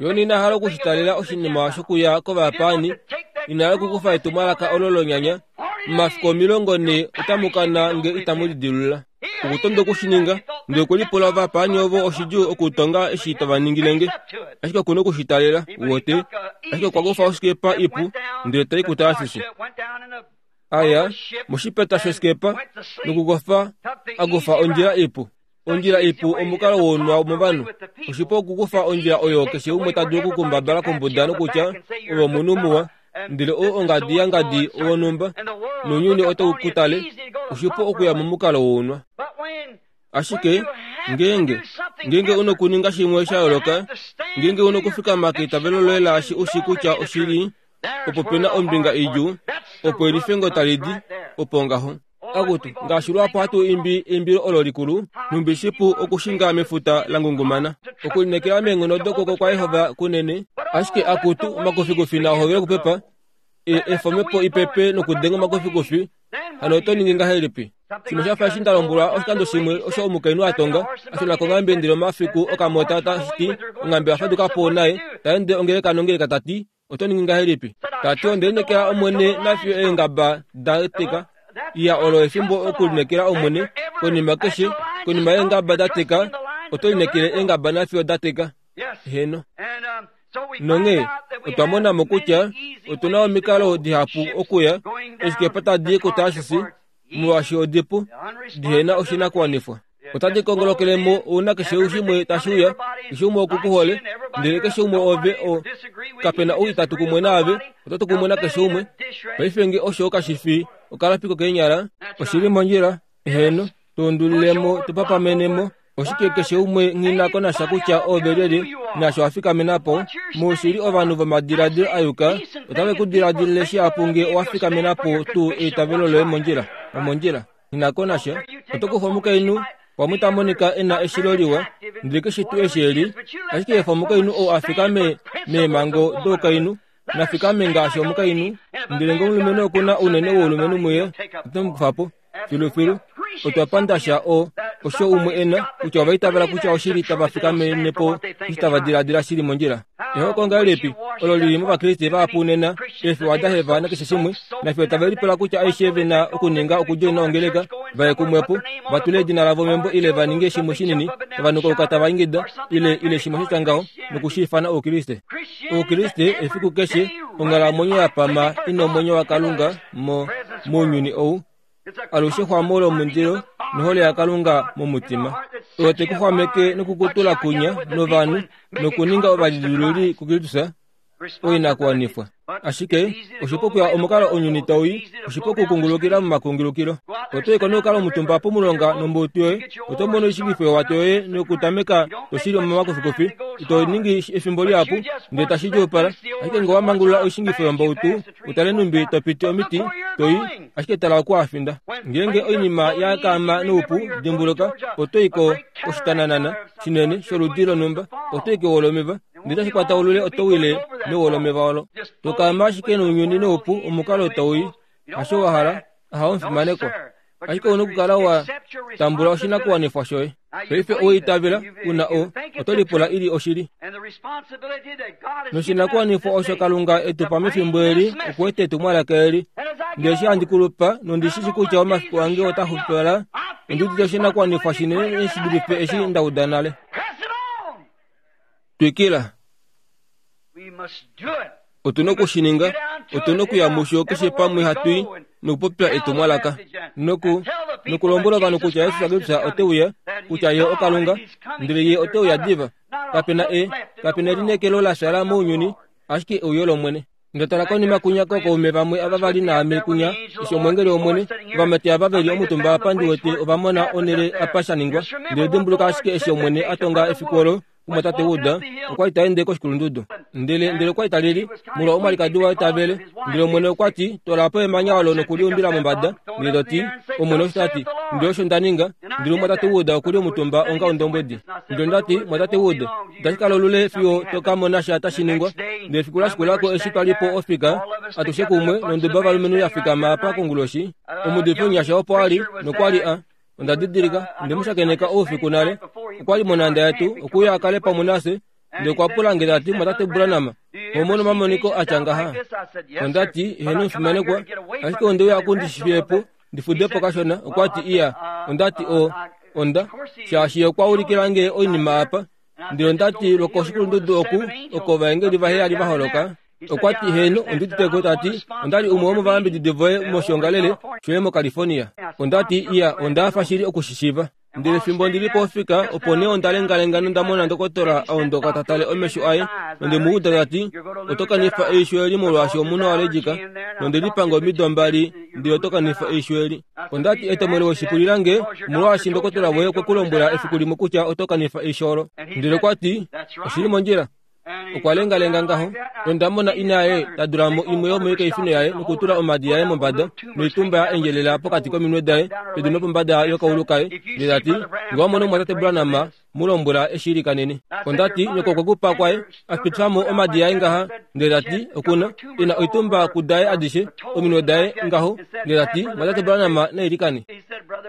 Jona ina hala oku shi taalela oshinima shokuya kovapaani, ina hala okukufa etumwalaka olo lonyanya, Momafiku 40 otamu kana nge itamu lidilulula. Okutonda oku shi ninga, ndele okwe lipula ovapaani ovo oshidjuu okutonga eshi tava ningile nge. Ashike oku na oku shi taalela, uwete. Ashike okwa kufa osikepa ipu ndele tai kuTarsis. A ya moshipeta shosikepa nokukofa a kufa ondjila ipu. Ondjila ipu omukalo wounwa movanhu. Oshipu okukufa ondjila oyo keshe umwe ta dulu okukumbabala kombuda nokutya, Ove omunhu muwa, ndele ou ongadi yangadi wonhumba, nounyuni otau ku tale. Oshipu okuya momukalo wounwa. Ashike ngeenge, ngeenge u nokuninga shimwe sha yooloka, ngeenge u nokufikama keitavelo loye laashi u shii kutya oshili, opo pe na ombinga idjuu, opo elifengo tali di, opo ngaho. Akutu, ngaashi luhapu hatu imbi eimbilo olo likulu, nhumbi shipu okushinga mefuta la ngungumana. Okulineekela meenghono dokwooko kwaJehova kunene. Ashike akutu, omakufikufi naa hovele okupepa, e, efa omhepo i pepe nokudenga omakufikufi, hano oto ningi ngahelipi? Shimwe sha fa eshi nda lombwelwa oshikando shimwe osho omukainhu a tonga, a shuna konghambe ndele omafiku okamota tashi ti onghambe oya faduka po naye, ta ende ongeleka nongeleka ta ti, Oto ningi ngahelipi? Ta ti, Onde lineekela Omwene nafiyo eengaba da teka. Iya, olo efimbo okulineekela Omwene. Konima keshe, konima yeengaba da teka, oto lineekele eengaba nafiyo da teka. Heeno. Nonghee otwa mona mo kutya otu na omikalo dihapu okuya eeshikepa tadi i kuTarsis, molwaashi odipu, dihe na oshinakuwanifwa. Otadi kongolokele mo ouna keshe shimwe tashi uya, keshe umwe oku ku hole, ndele keshe umwe ove o kape na ou itatu kumwe naave, oto tu kumwe nakeshe umwe. Paife nge osho kashi fi okalapi kokeenyala, oshi li mondjila, heeno, tu undulile mo, tu papamene mo. Oshike keshe umwe nghi na ko nasha kutya ove lyelye naasho wa fikamena po? Muushili ovanhu vomadiladilo a yuka otave ku diladilile shihapu nge owa fikamena po tuu eitavelo loye mondjila. Omondjila. Nghi na ko nasha. Oto kufa omukainhu pamwe ta monika e na eshilo liwa, ndele keshe tuu eshi e li, ashike efa omukainhu ou a fikame meemhango doukainhu, na fikame ngaashi omukainhu, ndele nge omulumenhu oku na ounene woulumenhu muye, ote mu kufa po. Filufilu, otwa panda sha o, osho umwe e na, kutya ova itavela kutya oshili tava fikamene po eshi tava diladila shi li mondjila. Ehoko ngahelipi olo li li mOvakriste vahapu nena, eefiwa da heva nakeshe shimwe, nafiyo tave lipula kutya aishe ve na okuninga okudjoina ongeleka, va ye kumwe po, va tule edina lavo membo ile va ninge shimwe shinini, tava nukauka tava ingida, ile, ile shimwe sha tya ngaho, noku shi ifana Oukriste. Oukriste efiku keshe, onghalamwenyo ya pama i na omwenyo waKalunga mo, mounyuni ou, alushe xwamo lomundilo nohole yaKalunga momutima, oyo te ku xwameke nokukutula kunya novanhu nokuninga ovalidilululi kuKristus oinakuwanifwa. Ashike oshipu okuya omukalo ounyuni tau i, oshipu okukungulukila momakungulukilo. Oto i ko nokukala omutumba pomulonga nombutu yoye, oto mono oishingifo yowato yoye nokutameka to shili omomakufikufi. Ito ningi efimbo lihapu ndele tashi djuupala, ashike ngee owa mangulula oishingifo yombautu, u tale nhumbi to piti omiti, to i, ashike tala oku wa finda. Ngeenge oinima ya kaama noupu, dimbuluka, oto i ko koshitananana shinene sholudi lonhumba, oto i kewo lomeva, ndele tashi kwata olule oto wile mewo lomeva olo. To kaama ashike nounyuni noupu, omukalo tau i, hasho wa hala, ahawe omufimanekwa. Ashike ou na okukala wa tambula oshinakuwanifwa shoye. Paife owe itavela, u na o, oto lipula i li oshili. Noshinakuwanifwa osho Kalunga e tu pa mefimbo eli, okueta etumwalaka eli. Ndele eshi handi kulupa, nondi shi shi kutya omafiku ange ota xupipala, ondi udite oshinakuwanifwa shinene shi dulife eshi nda uda nale. Twikila. Otu na oku shi ninga. Otu na okuya musho keshe pamwe hatu i nokupopya etumwalaka noku nokulombwela ovanhu kutya Jesus Kristus ote uya, kutya Ye oKalunga, ndele Ye ote uya diva. Kape na e, kape na elineekelo la shala mounyuni, ashike euyo lOmwene. Nda tala konima kunya kookaume vamwe ava va li naame kunya, eshi omweengeli wOmwene, ovamati ava ve li omutumba apa ndi wete ova mona onhele apa sha ningwa. Ndele dimbuluka ashike eshi Omwene a tonga efiku olo, Omumwatate Wood okwa li ta ende koshikulundudu. Ndele, ndele okwa li ta lili, molwa omwalikadi waye ta vele. Ndele Omwene okwa ti, Twala po emanya olo noku li umbila mombada. Ndele to ti, Omwene osho ta ti. Ndele osho nda ninga. Ndele omumwatate Wood oku li omutumba onga ondombwedi. Ndele onda ti, Mumwatate Wood, itashi kala olule fiyo to ka mona sha tashi ningwa. Ndele efiku la shikula ko eshi twa li po ofika, atushe kumwe, nonduba yovalumenhu ya fikama apa konguloshi, omuudifi omunyasha opo a li, nokwa li a. Onda didilika, onde mu shakeneka oufiku nale. Okwa li monhanda yetu, okuuya a kale pamwe nafye. Ndele okwa pula nge ta ti, Mwatate Branham, oho mono omamoniko a tya ngaha? Onda ti, Heeno, omufimanekwa, ashike onde uya oku ndi fiye po, ndi fude po kashona. Okwa ti, Iya. Onda ti, O, onda, shaashi ye okwa ulikila nge oinima apa. Ndele onda ti, Lwokoshikulundudu oku, oko ovaengeli vaheyali va holoka. Okwa ti, Heeno, ondi udite ko. Ta ti, Onda li umwe womovayambididi voye moshiongalele shoye moCalifornia. Onda ti, Iya, onda hafa shili oku shi shiiva. Ndele fimbo ndi li pofika, opo nee onda lengalenga nonda mona ndokotola a ondoka ta tale omesho aye, nonde mu uda ta ti, Oto kanifa eisho eli molwaashi omunhu allergic, nonde lipanga omido mbali, ndele oto kanifa eisho eli. Onda ti, Etomwele weshipulila nge, omolwaashi ndokotola woye okwe ku lombwela efiku limwe kutya oto kanifa eisho olo. Ndele okwa ti, Oshi li mondjila. Okwa lengalenga ngaho, nonda mona ina yaye ta dula mo imwe yomoikaifino yaye nokutula omadi aye mombada, noitumba ya endjelela pokati kominwe daye, pedu nopombada yokaulu kaye, ndele ta ti, Nge wa mono omumwatate Branham, mu lombwela e shi ilikanene. Onda ti, Nyoko okwe ku pa kwaye, a pitifa mo omadi aye ngaha, ndele ta ti, Oku na, e na oitumba kudaye adishe, ominwe daye, ngaho, ndele ta ti, Mumwatate Branham na ilikane.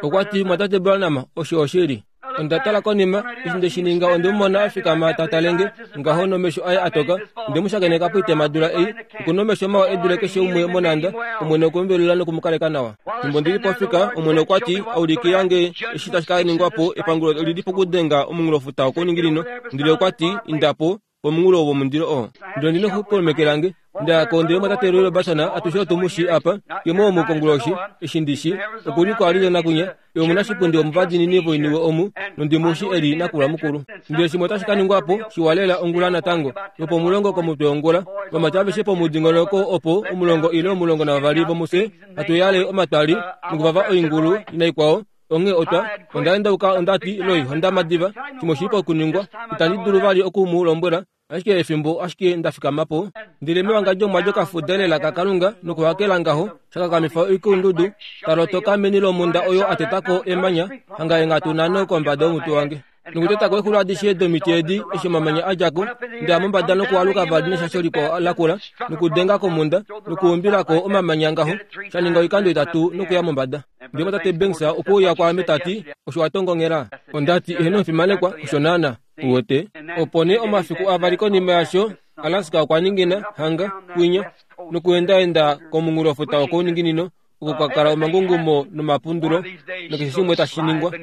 Okwa ti, Mumwatate Branham, osho oshili. Onda tala konima, eshi nde shi ninga onde mu mona a fikama ta tale nge, ngaho nomesho aye a toka. Onde mu shakeneka poitemadula ei. Oku nomesho mawa e dule keshe umwe monhanda. Omwene okwe mu velula noku mu kaleka nawa. Fimbo ndi li pofika, Omwene okwa ti, Aulikila nge eshi tashi ka ningwa po, epangulo oli li pokudenga omunghulofuta wokouninginino. Ndele okwa ti, Inda po, pomunghulo womundilo oo. Ndele ondi nokukolomeke lange. Nda ya ko ndele omwatate Roy Robertson, atushe otu mu shii apa, ye mo omu konguloshi, eshi ndi shi, oku li ko Arizona kwinya, ye omunashipundi womuvadinini voiniwe omu, nondi mu shi e li nakula mukulu. Ndele shimwe otashi ka ningwa po, shiwa lela, ongula natango, lwopomulongo komutwe wongula, vamati aveshe pomudingonoko opo, omulongo ile 12 vomufye, hatu yale omatwali, nokuvava oingulu naikwao, Onghee otwa, onda endauka onda ti, Roy, onda madiva, shimwe oshi li pokuningwa. Itandi dulu vali oku mu lombwela, ashike efimbo ashike nda fikama po. Ndele mewangadjo omwa dja okafuda lela kaKalunga nokuhakela ngaho, sha kakamifa oikulundudu, ta lotoka meni lomhunda oyo a teta ko emanya, hanga eenghatu nhano kombada yomutwe wange. Nokuteta ko exulo adishe domiti edi, eshi omamanya a dja ko, nda ya mombada nokualuka vali neshasho likwao lakula, nokudenga komhunda, nokuumbila ko omamanya ngaho, sha ninga oikando itatu nokuya mombada. Ndele tate Banks okwe uya kwaame ta ti, Osho wa tongongela? Onda ti, Eheno omufimanekwa, osho naana. Uwete? Opo nee omafiku avali konima yasho, Alaska okwa ningina, hanga, kwinya, nokuendaenda komunghulofuta wokouninginino, oko kwa kala omangungumo nomapundulo nokeshe shimwe tashi ningwa.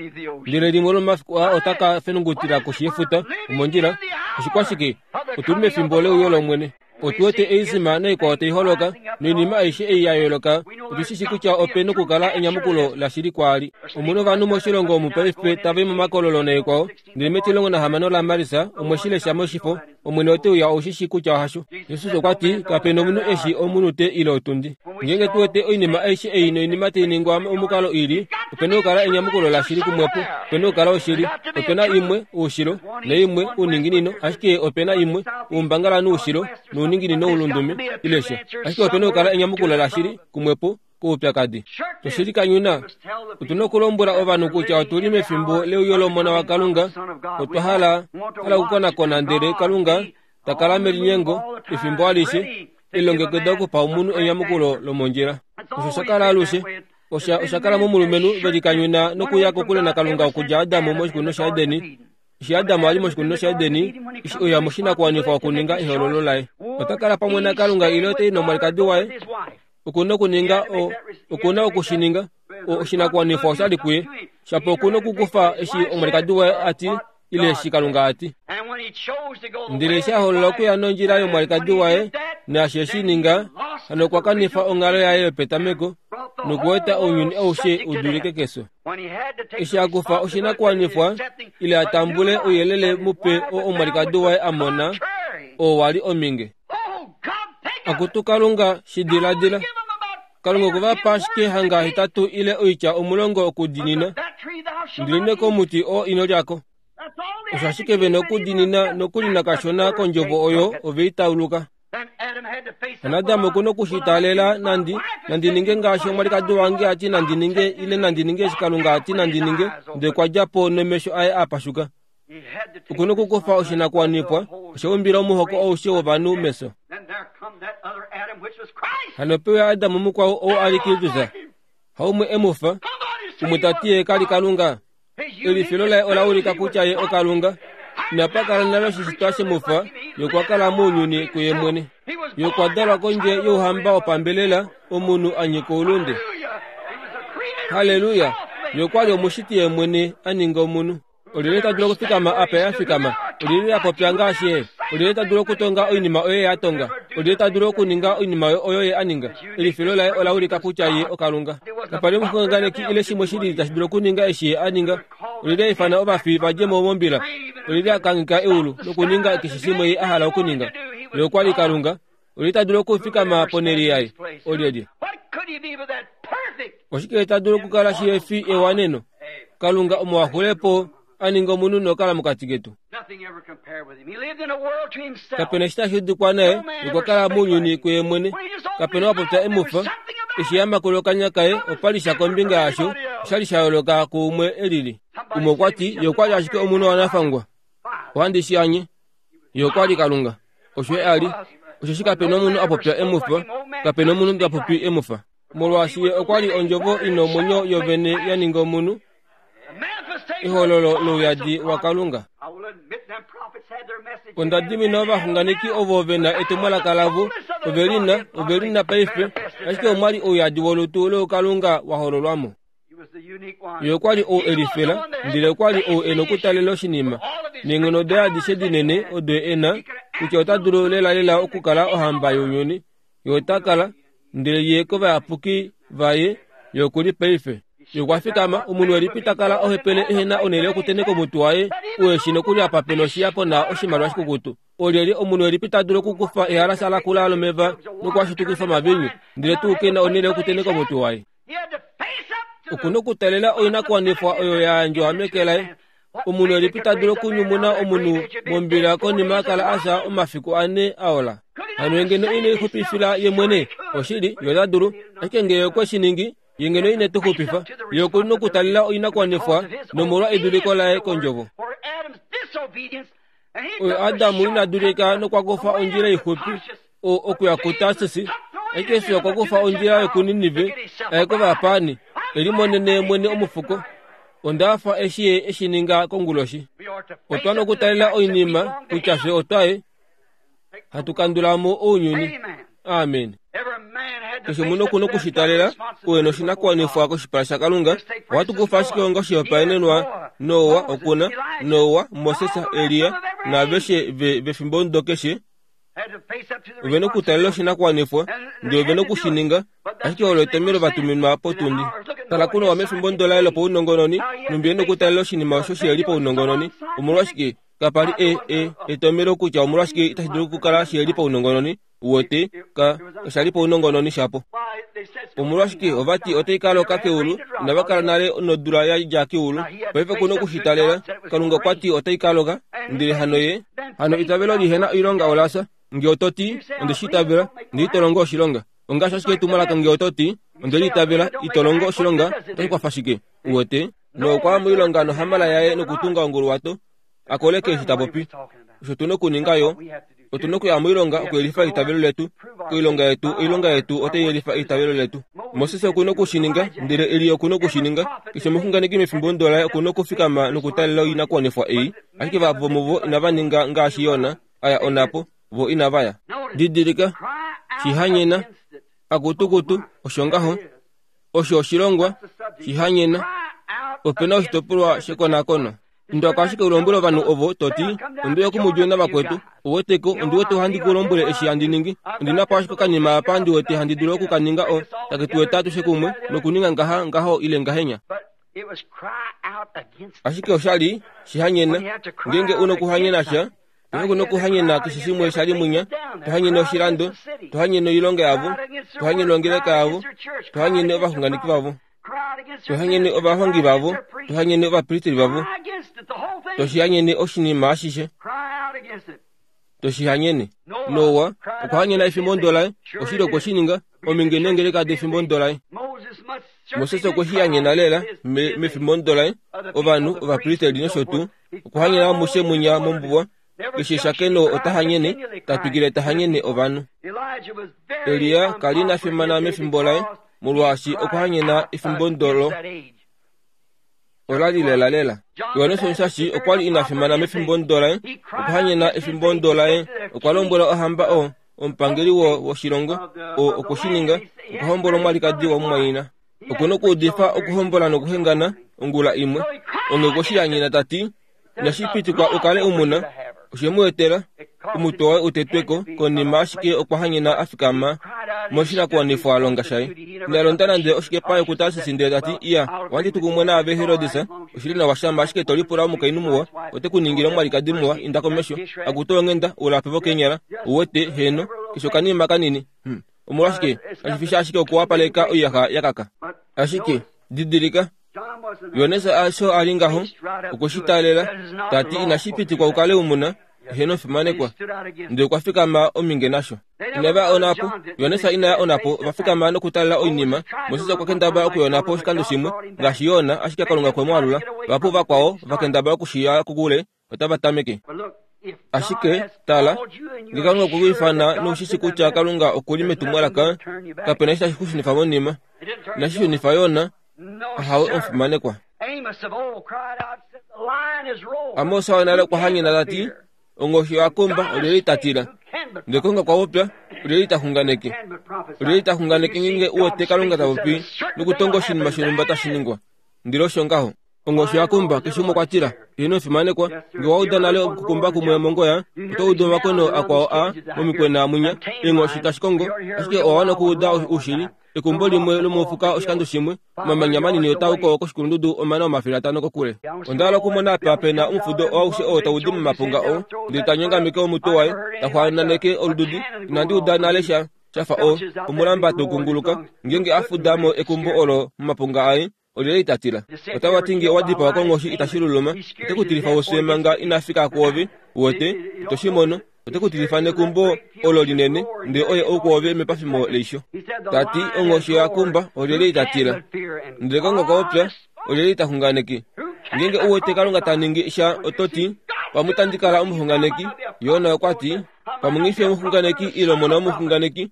Ndele limwe lomomafiku aa ota ka fenungutila koshi yefuta, omondjila. Oshikwashike? Otu li mefimbo leuyo lOmwene. Otu wete eisima naikwao tai holoka, noinima aishe ei ya yooloka. Otu shi shi kutya ope nokukala enyamukulo lashili kwaali. Omu na ovanhu moshilongo omu paife tava i momakololo naikwao, ndele metilongo nahamano laMarsa omwe shi lesha moshifo, Omwene ote uya ou shi shii kutya hasho. Jesus okwa ti, Kape nomunhu e shii omunute ile otundi. Ngeenge tu wete oinima aishe ei noinima tai ningwa momukalo i li, ope na okukala enyamukulo lashili kumwepo. Ope na okukala oshili. Ope na imwe, oushilo, naimwe, ouninginino, ashike ope na imwe, oumbangalanhu oushilo, nouninginino oulundume, ile sha. Ashike ope na okukala enyamukulo lashili kumwepo koupyakadi. Oshili kanyuna, otu na okulombwela ovanhu kutya otu li mefimbo leuyo lOmona waKalunga. Otwa hala hala okukonakona ndele Kalunga ta kala melinyengo efimbo alishe, elilongekida okupa omunhu enyamukulo lomondjila. Osho sha kala alushe. Osha, osha kala momulumenhu ve likanyuna nokuya kokule naKalunga okudja Adam moshikunino shaEdeni. Eshi Adam a li moshikunino shaEdeni, eshi oya moshinakuwanifwa okuninga ehoololo laye. Ota kala pamwe naKalunga ile ota i nomwalikadi waye. Oku na okuninga o, oku na oku shi ninga. O, oshinakuwanifwa osha li kuye. Shapo oku na okukufa eshi omwalikadi waye a ti ile eshi Kalunga a ti. Ndele eshi a hoolola okuya nondjila yomwalikadi waye, naashi e shi ninga, hano okwa kanifa onghalo yaye yopetameko nokueta ounyuni aushe u dulike kefyo. Eshi a kufa oshinakuwanifwa ile a tambule ouyelele mupe oo omwalikadi waye a mona, oo wa li ominge. Akutu Kalunga, shi diladila. Kalunga okwe va pa ashike hanga hetatu ile oitya 10 okudiinina, Ndiline komuti oo ino lya ko. Osho ashike ve na okudiinina nokuli nakashona kondjovo oyo ove i tauluka. Adam oku na oku shi taalela nandi nandi ninge ngaashi omwalikadi wange a ti nandi ninge ile nandi ninge eshi Kalunga a ti nandi ninge, ndele kwa dja po nomesho aye a pashuka. Oku na okukufa oshinakuwanifwa osha umbila omuhoko aushe wovanhu mefyo. Hano pe uya Adam mukwao ou a li Kristus, haumwe e mu fa, umwe ta ti ye ka li Kalunga. Elifilo laye ola ulika kutya ye oKalunga. Inapa kala nale oshishitwa she mu fa, ye okwa kala mounyuni kuye mwene. Ye okwa dalwa kondje youhamba wopambelela, omunhu a nyika oulunde. Halleluya! Ye okwa li omushiti ye mwene a ninga omunhu. Olyelye ta dulu okufikama apa ye a fikama? Olyelye a popya ngaashi ye? Olyelye ta dulu okutonga oinima oyo ye a tonga? Olyelye ta dulu okuninga oinima oyo ye a ninga? Elifilo laye ola ulika kutya ye oKalunga. Kapa li omuxunganeki ile shimwe shi lili tashi dulu okuninga eshi ye a ninga. Olyelye a ifana ovafi va dje mo mombila? Olyelye a kangheka eulu nokuninga keshe shimwe ye a hala okuninga? Ye okwa li Kalunga. Olyelye ta dulu okufikama ponhele yaye? Olyelye? Oshike ta dulu okukala shihe fi ewaneno? Kalunga omo a xule po a ninga omunhu nokala mokati ketu. Kape na eshi tashi udikwa naye, okwa kala mounyuni kuye mwene. Kape na wa popya e mu fa. Eshi a makula okanya kaye, opa li sha kombinga yasho, osha li sha yooloka kuumwe e lili. Umwe okwa ti, Ye okwa li ashike omunhu wanafangwa. Ohandi shi anye. Ye okwa li Kalunga. Osho ye a li. Osheshi kape na omunhu a popya e mu fa, kape na omunhu ta popi e mu fa. Molwaashi ye okwa li Ondjovo i na omwenyo yovene ya ninga omunhu, ehololo louyadi waKalunga. Onda dimina ovaxunganeki ovo ve na etumwalaka lavo, ove li na, ove li na paife, ashike omwa li ouyadi wolutu loukalunga wa hololwa mo. Ye okwa li ou e lifela, ndele okwa li ou e nokutalela oshinima neenghono daye adishe dinene odo e na, kutya ota dulu lelalela okukala ohamba younyuni. Ye ota kala, ndele ye kovayapuki vaye, ye oku li paife. Ye okwa fikama, omunhu elipi ta kala ohepele ehe na onhele yokutenheka omutwe waye, uhe shi nokuli apa pe noshiya po na oshimaliwa shikukutu? Olyelye omunhu elipi ta dulu okukufa ehalasa lakula lomeva noku a shitukifa omaviinyu, ndele tuu ke na onhele yokutenheka omutwe waye? Oku na okutalela oinakuwanifwa oyo ya yandjwa meke laye. Omunhu elipi ta dulu okunyumuna omunhu mombila konima a kala a fya omafiku ane a ola? Hano ye ngeno ine lixupifila ye mwene? Oshili, ye ota dulu. Ashike ngee okwe shi ningi, ye ngeno ine tu xupifa. Ye oku na okutalela oinakuwanifwa nomolwa eduliko laye kondjovo. Oyo Adamu ina dulika nokwa kufa ondjila ixupi okuya kuTarsis, ashike Jesus okwa kufa ondjila yokuNinive aye kovapaani, e limonene mwene omufuko. Onda hafa eshi ye e shi ninga konguloshi. Otwa nokutalela oinima kutya fye otwaye hatu kandula mo ounyuni. Amen. Keshe omunhu oku na oku shi talela uhe noshinakuwanifwa koshipala shaKalunga. Ohatu kufa ashike onga oshihopaenenwa Noa oku na, Noa, Moses, Elia naaveshe ve vefimbomudo keshe ove na okutalela oshinakuwanifwa ndele ove na oku shi ninga, ashike olo etomhelo va tuminwa potundi. Tala kuNoa mefimbomudo laye lopaunongononi, nhumbi e na okutalela oshinima osho shiheli paunongononi. Omolwashike, kapa li e, e, etomhelo kutya omolwashike itashi dulu okukala shiheli paunongononi. Uwete, ka, osha li paunongononi shapo. Omolwashike, ova ti otai ka loka keulu, inava kala nale nodula ya dja keulu. Paife ku noku shi talela. Kalunga okwa ti otai ka loka, ndele hano ye. Hano eitavelo li hena oilonga ola fya. Nge oto ti, Onde shi itavela, ndele ito longo oshilonga. Ongaashi ashike etumwalaka nge oto ti, Onde li itavela, ito longo oshilonga, otashi kwafa shike? Uwete? Noa okwa ya moilonga nohamala yaye nokutunga onguluwato, a koleke eshi ta popi. Osho tu na okuninga yo, otu na okuya moilonga okuyelifa eitavelo letu. Koilonga yetu, oilonga yetu otai yelifa eitavelo letu. Moses oku na oku shi ninga, ndele Elia oku na oku shi ninga. Keshe omuxunganeki mefimbo ndo laye oku na okufikama nokutalela oinakuwanifwa ei. Ashike vahapu vomuvo inava ninga ngaashi Jona a ya onhapo, vo inava ya. Didilika, shihanyena, akutukutu, osho ngaho. Osho oshilongwa, shihanyena. Ope na oshitopolwa shekonakono. Inda ko ashike u lombwele ovanhu ovo to ti, Onde uya kumudjule navakwetu. Ou wete ko, ondi wete ohandi ku lombwele eshi handi ningi. Ondi na po ashike okanima apa ndi wete handi dulu oku ka ninga o, take tu eta atushe kumwe, nokuninga ngaha, ngaho ile ngahenya. Ashike osha li shihanyena. Ngeenge u nokuhanyena sha, paife ku nokuhanyena keshe shimwe sha li mwinya, to hanyene oshilando, to hanyene oilonga yavo, to hanyene ongeleka yavo, to hanyene ovaxunganeki vavo. Tuhanyene ovahongi vavo, tuhanyene ovapristeri vavo, toshihanyene oshinima ashishe, toshihanyene. Noa okwa hanyena efimbo laye, oshili okwe shi ninga, ominge neengeleka defimbo laye. Moses okwe shi hanyena lela mefimbo laye, ovanhu, ovapristeri nosho tuu, okwa hanyena amushe mwinya mombuwa, Keshe eshakeno ota hanyene, ta twikile ta hanyene ovanhu. Elia ka li na fimana mefimbo laye, molwaashi okwa hanyena efimbo ndolo ola li lelalela. Johannes Omushashi okwa li ina fimana mefimbo ndo laye, okwa hanyena efimbo ndo laye. Okwa lombwela ohamba o, omupangeli wo, woshilongo, o, okwe shi ninga, okwa hombola omwalikadi wamumwaina. Oku nokuudifa okuhombola nokuhengana ongula imwe. Onghee okwe shi hanyena ta ti, Inashi pitikwa u kale u mu na. Oshe mu etela omutwe waye u tetwe ko konima ashike okwa hanyena a fikama moshinakuwanifwalonga shaye. Ina londa nande oshikepa yokuTarsis ndele ta ti, Iya, ohandi tu kumwe naave Herodes, oshili nawa shama ashike to lipula omukainhu muwa, ote ku ningile omwalikadi muwa, inda komesho, akutu onghenda, ulape vokeenyala, uwete, heeno, keshe okanima kanini. Hum. Omolwashike, kashi fi sha ashike okuwapaleka oiyaxa ya kaka. Ashike, didilika, Johannes osho a li ngaho, okwe shi taalela, ta ti inashi pitikwa u kale u mu na, eheno fimanekwa. Ndele okwa fikama ominge nasho. Inava ya onhapo, Johannes ina ya onhapo, ova fikama nokutaalela oinima. Moses okwa kendabala okuya onhapo oshikando shimwe, ngaashi Jona, ashike Kalunga okwe mu alula. Vahapu vakwao va kendabala oku shi ya kokule, otava tameke. Ashike, tala, nge Kalunga okwe ku ifana nou shi shi kutya Kalunga oku li metumwalaka, kape na eshi tashi ku shunifa monima. Inashi shunifa Jona, ahawe omufimanekwa. Amos wonale okwa hanyena ta ti, Onghoshi oya kumba, olyelye ta tila? Ndele Kalunga okwa popya, olyelye ta xunganeke? Olyelye ta xunganeke ngeenge u wete Kalunga ta popi nokutonga oshinima shonhumba tashi ningwa? Ndele osho ngaho. Onghoshi oya kumba, keshe umwe okwa tila. Heeno omufimanekwa, nge owa uda nale okukumba kumwe mongoya, oto udu omakono akwao a momikwena mwinya, eenghoshi tashi kongo, ashike owa wana okuuda oushili. Ekumbo limwe lomofuka oshikando shimwe, omamanya manini otaa uko koshikulundudu omana 500 kokule. Onda hala okumona apa pe na omufudo aushe oo tau di momapunga oo, ndele ta nyongameke omutwe waye, ta xwaananeke olududi. Inandi uda nale sha sha fa o, omulamba tau kunguluka, ngeenge a fuda mo ekumbo olo momapunga aye, olyelye ita tila? Otava ti nge owa dipawa konghoshi itashi luluma, ote ku tilifa wofye manga ina fika kwoove, uwete, ito shi mono. Ote ku tilifa nekumbo olo linene, ndele oye ou kwoove mepafimo leisho. Ta ti, Onghoshi oya kumba, olyelye ita tila? Ndele Kalunga okwa popya, olyelye ita xunganeke? Ngeenge u wete Kalunga ta ningi sha, oto ti, Pamwe itandi kala omuxunganeki. Jona okwa ti, Pamwe nghi fi omuxunganeki ile omona womuxunganeki,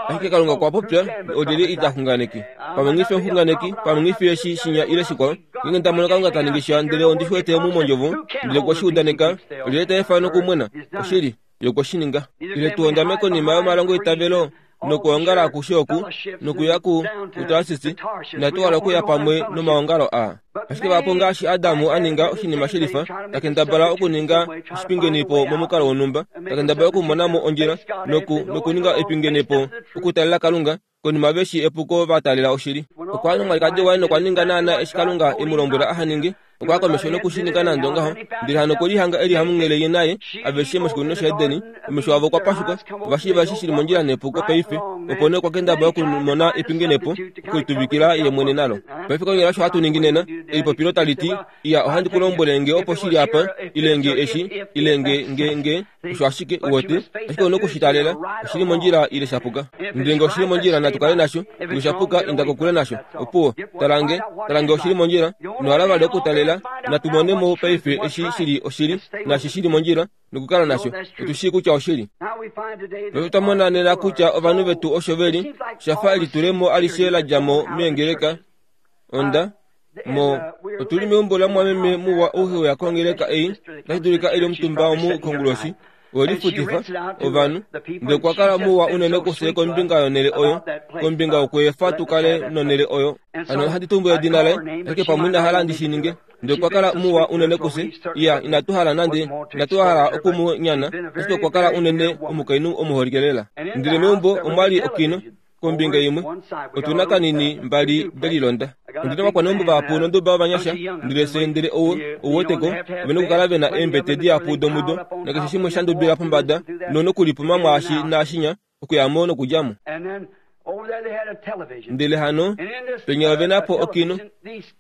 Ashike Kalunga okwa popya, olyelye ita xunganeke? Pamwe nghi fi omuxunganeki, pamwe nghi fi eshi, shinya ile shikwao. Ngeenge nda mono Kalunga ta ningi sha, ndele ondi shi wete omu mondjovo, ndele okwe shi udaneka, olyelye ta efa nokumwena? Oshili, Ye okwe shi ninga. Ile tu hondame konima yomalongoitavelo nokwoongala akushe oku, nokuya ku, kuTarsis, inatu hala okuya pamwe nomaongalo aa. Ashike vahapu ngaashi Adamu a ninga oshinima shelifa, ta kendabala okuninga oshipingenepo momukalo wonhumba, ta kendabala okumona mo ondjila noku, nokuninga epingenepo okutalela Kalunga, konima ve shi epuko va taalela oshili. Okwa ya nomwalikadi waye nokwa ninga naanaa eshi Kalunga e mu lombwela aha ninge. Okwa ya komesho noku shi ninga nande ongaho, ndele hano okwe lihanga e li hamunghele ye naye aveshe moshikunino shaEdeni. Omesho avo okwa pashuka, ova shiiva eshi shi li mondjila nepuko paife. Opo nee okwa kendabala okumona epingenepo, okulituvikila ye mwene nalo. Paife konyala osho hatu ningi nena. Elipopilo tali ti, Iya, ohandi ku lombwele nge opo shi li apa, ile nge eshi, ile nge, nge, nge, osho ashike, uwete. Ashike ou na oku shi taalela, oshi li mondjila ile sha puka. Ndele nge oshi li mondjila, natu kale nasho. Nge osha puka, inda kokule nasho. Opuwo. Tala nge, tala nge oshi li mondjila. Ino hala vali okutalela. Natu mone mo paife eshi shi li oshili, naashi shi li mondjila, nokukala nasho. Otu shii kutya oshili. Paife otwa mona nena kutya ovanhu vetu osho ve li, sha fa elitulemo alishe la dja mo meengeleka. Onda, mo, otu li meumbo lamwameme muwa ou he uya kongeleka ei, otashi dulika e li omutumba omu konguloshi. Owe lifutifa, ovanhu, ndele okwa kala muwa unene kufye kombinga yonhele oyo, kombinga yokweefa tu kale nonhele oyo. Hano ohandi tumbula edina laye, ashike pamwe ina hala ndi shi ninge. Ndele okwa kala muwa unene kufye. Iya, inatu hala nande, inatu hala oku mu nyana, ashike okwa kala unene omukainhu omuholike lela. Ndele meumbo omwa li okino, Kombinga imwe, otu na kanini mbali de lilonda. Ondi na ovakwaneumbo vahapu nonduba yovanyasha, ndele fye, ndele ou, ou wete ko, ove na okukala ve na eembete dihapu domudo, nakeshe shimwe sha ndubila pombada, no, nokulipuma mwaashi naashinya, okuya mo nokudja mo. Ndele hano, penya ove na po okino.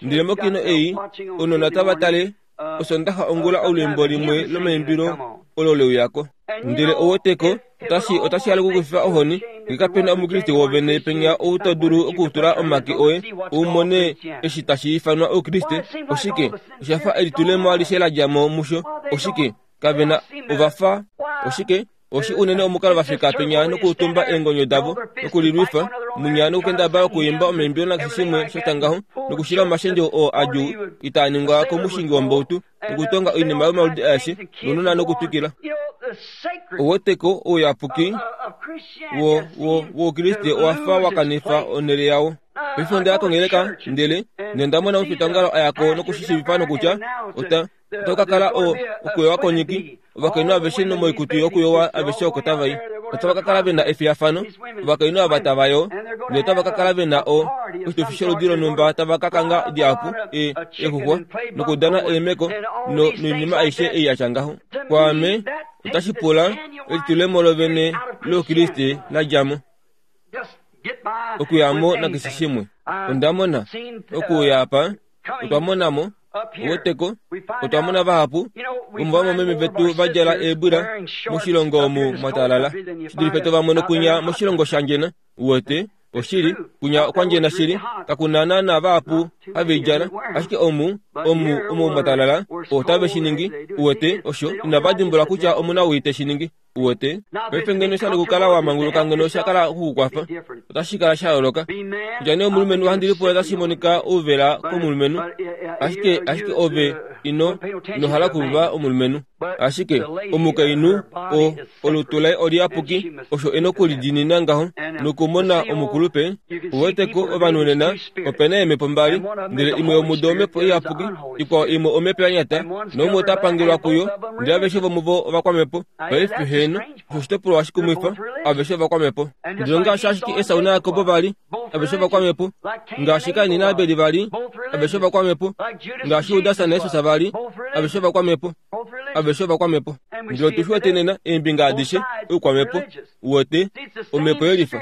Ndele mokino ei, ounona otava tale Osondaxa ongula olwiimbo limwe lomaimbilo olo le uya ko. Ndele ou wete ko, otashi, otashi hala okukufifa ohoni, nge kape na Omukriste wovene penya ou to dulu okutula omake oye u mone eshi tashi ifanwa Oukriste. Oshike? Osha fa elitulemo alishe la dja mo musho. Oshike? Kave na, ova fa, oshike? Oshi unene omukalo va fika penya nokuutumba eengonyo davo, nokulilwifa munya nokukendabala okuimba omaimbilo nakeshe shimwe sha tya ngaho, nokushila omashendjo oo adjuu itaa ningwa komushingi wombautu, nokutonga oinima yomaludi aeshe, nounona nokutwikila. Ouweteko ouyapuki wo, wo, woukriste owa fa wa kanifa onhele yao. Paife onda ya kongeleka, ndele, nonda mona omufitaongalo a ya ko nokushishiivifa nokutya ota, Oto ka kala o, okuyowa konyiki, ovakainhu aveshe nomoikutu yokuyowa aveshe oko tava i. Otava ka kala ve na efiyafano, ovakainhu ava tava yoo, ndele otava ka kala ve na o, oshitufi sholudi lonhumba tava ka kanga dihapu, e, eexuxwa, nokudana eemeko, no, noinima aishe ei ya tya ngaho. Kwaame, otashi pula elitulemo lovene lOukriste la dja mo. Okuya mo nakeshe shimwe. Onda mona, okuuya apa, otwa mona mo, uweteko, otwa mona vahapu vomovamwameme vetu va djala eebwila moshilongo omu mwa talala shi dulife to va mono kunya moshilongo shandjena. Uwete, oshili, kunya okwa ndjena shili, kaku na naana vahapu have i djala, ashike omu, omu, omu mwa talala, otave shi ningi. Uwete, osho, inava dimbula kutya omu na owii te shi ningi. Uwete? Paife ngeno sha li okukala wa manguluka ngeno sha kala oku ku kwafa, otashi kala sha yooloka. Kutya nee omulumenhu ohandi lipula tashi monika ouvela komulumenhu, ashike, ashike ove ino, ino hala okuva omulumenhu. Ashike, omukainhu, o, olutu laye oliyapuki, osho e nokulidiinina ngaho, nokumona omukulupe. Uweteko, ovanhu nena, ope na eemhepo mbali, ndele imwe yomudo omhepo iyapuki, ikwao imwe omhepo ya nyata, naumwe ota pangelwa kuyo, ndele aveshe vomuvo ovakwamhepo. Paife, heeno, osho oshitopolwa shikumwifa, aveshe ovakwamhepo. Ndele ngaashi ashike Esau naJakob va li, aveshe ovakwamhepo, ngaashi Kain naAbel va li, aveshe ovakwamhepo, ngaashi Judas naJesus va li, aveshe ovakwamhepo, aveshe ovakwamhepo. Ndele otu shi wete nena, eembinga adishe, oukwamhepo, uwete, omhepo yelifa.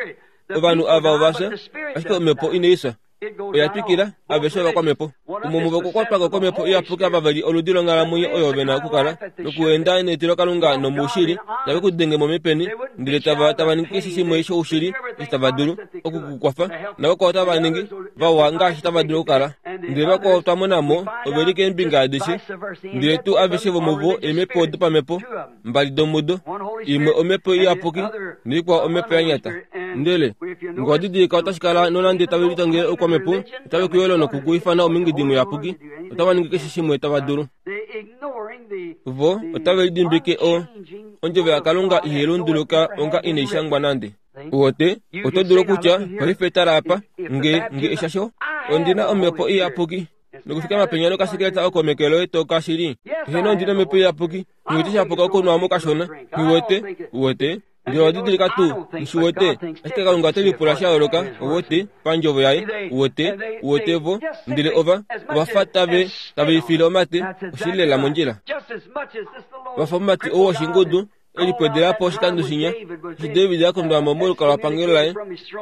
Ovanhu ava ova fya, ashike omhepo inai fya. Oya twikila, aveshe ovakwamhepo. Omo muvo okukwatwa ko komhepo iyapuki ava ve li oludi longhalamwenyo oyo ve na okukala, nokuenda netilokalunga nomoushili, tave ku denge mo mepeni, ndele tava, tava ningi keshe shimwe shoushili eshi tava dulu, oku ku kwafa, navakwao otava ningi vawa ngaashi tava dulu okukala. Ndele vakwao twa mona mo, ove li keembinga adishe, ndele tuu aveshe vomuvo eemhepo dopamhepo, mbali domudo, imwe omhepo iyapuki naikwao omhepo ya nyata. Ndele nge owa didilika otashi kala nonande tave litangele oukwamhepo, otave ku yolo noku ku ifana omingidi muyapuki, otava ningi keshe shimwe tava dulu. Vo otave lidimbike o, ondjovo yaKalunga ihai lunduluka onga inai shangwa nande. Uwete, oto dulu okutya, Paife tala apa, nge, nge eshasho, ondi na omhepo iyapuki. Nokufikama penya nokasekeleta oko meke loye to ka shili. Eheno ondi nomhepo iyapuki, nghi wete sha puka okunwa mo kashona. Nghi wete, uwete. Ndele owa didilika tuu, nghi shi wete, ashike Kalunga ote lipula sha yooloka, uwete, pandjovo Yaye, uwete, uwete vo. Ndele ova, ova fa tave, tave i file omate, oshi li lela mondjila. Va fa omumati ou woshingudu, e lipwedela po oshikando shinya, eshi David a kondwa mo molukalwapangelo laye,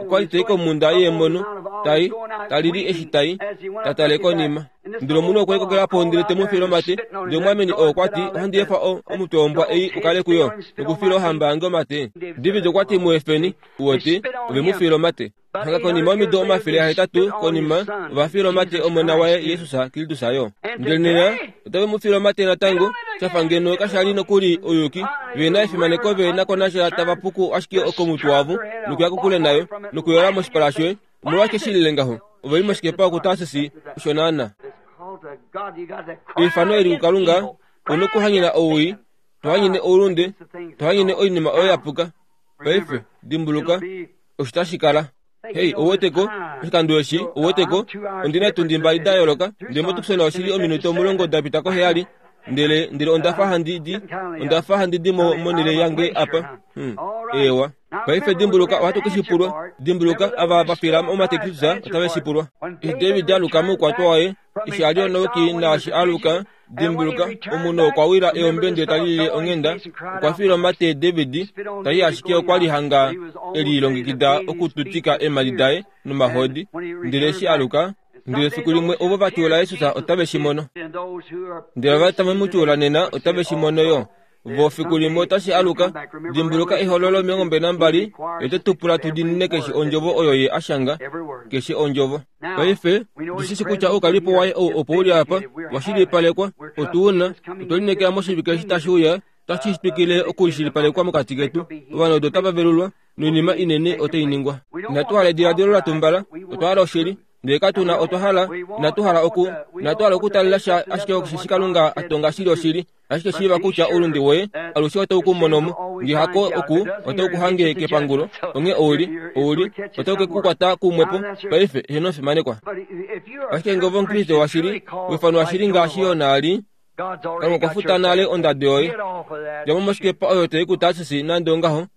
okwa li ta i komhunda yeemono, ta i, ta lili eshi ta i, ta tale konima. Ndele omunhu okwe likokela po ndele te mu fiile omate. Ndele omwaameni oo okwa ti, Ohandi efa o, omutwe wombwa ei u kale kuyo, nokufiila ohamba yange omate. David okwa ti, Mu efeni, uwete, ove mu fiila omate. Hanga konima yomido 800 konima, ova fiila omate Omona waye Jesus Kristus yo. Ndele nena otave mu fiile omate natango, sha fa ngeno kasha li nokuli ouyuki, ve na efimaneko ve na ko nasha tava puku ashike okomutwe wavo nokuya kokule nayo nokuyola moshipala shoye. Omolwashike shi lile ngaho? Ove li moshikepa okuTarsis, osho naana. Eifano eli kuKalunga, u nokuhanyena owii, to hanyene oulunde, to hanyene oinima oyo ya puka. Paife, dimbuluka, osho tashi kala. Hei, ou wete ko, oshikando eshi, ou wete ko, ondi na etundi mbali da yooloka, ndele moTucson oshi li ominute omulongo da pita koheyali, ndele, ndele onda fa handi di, onda fa handi di mo monhele yange apa. Hmm. Eewa. Paife dimbuluka, ohatu ke shi pulwa. Dimbuluka, ava va fila omate Kristus otave shi pulwa. Eshi David a aluka moukwatwa waye, eshi a li onauki naashi a aluka, Dimbuluka, omunhu okwa wila eombe ndele ta lilile onghenda, okwa fiila omate David, ta i ashike okwa li hanga e lilongekida okututika eemhadi daye nomahodi. Ndele eshi a aluka, ndele efiku limwe ovo va tyuula Jesus otave shi mono. Ndele ova tave mu tyuula nena otave shi mono yo. Vo fiku limwe otashi aluka. Dimbuluka Ehololo 22, ote tu pula tu diinine keshe ondjovo oyo ye a shanga, keshe ondjovo. Paife, otu shi shi kutya oukalipo waye ou opo u li apa, wa shilipalekwa, otu u na, otwe lineekela moshivike eshi tashi uya, otashi twikile okushilipalekwa mokati ketu. Ovanhu otava velulwa, noinima inene otai ningwa. Inatu hala ediladilo la tumbala, otwa hala oshili. Ndele katu na, otwa hala, inatu hala oku, inatu hala okutalela sha ashike osheshi Kalunga a tonga shili oshili. Ashike shiiva kutya oulunde woye alushe otau ku mono mo, nge hako oku, otau ku hange kepangulo. Onghee ou li, ou li, otau ke ku kwata kumwepo. Paife, heeno ofimanekwa. Ashike nge ove Omukriste washili, wa ifanwa shili ngaashi Jona a li, Kalunga okwa futa nale ondado yoye. Dja mo moshikepa oyo tai ku Tarsis nande ongaho.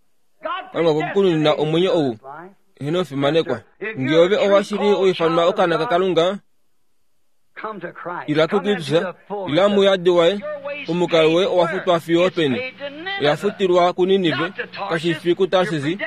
Kalunga okwe ku nunina omwenyo ou. Eheno fimanekwa. Nge ove owa shili wa ifanwa okaana kaKalunga, ila kuKristus, ila muyadi waye, omukalo woye owa futwa fiyo openi? Oya futilwa kuNinive, kashi fi kuTarsis,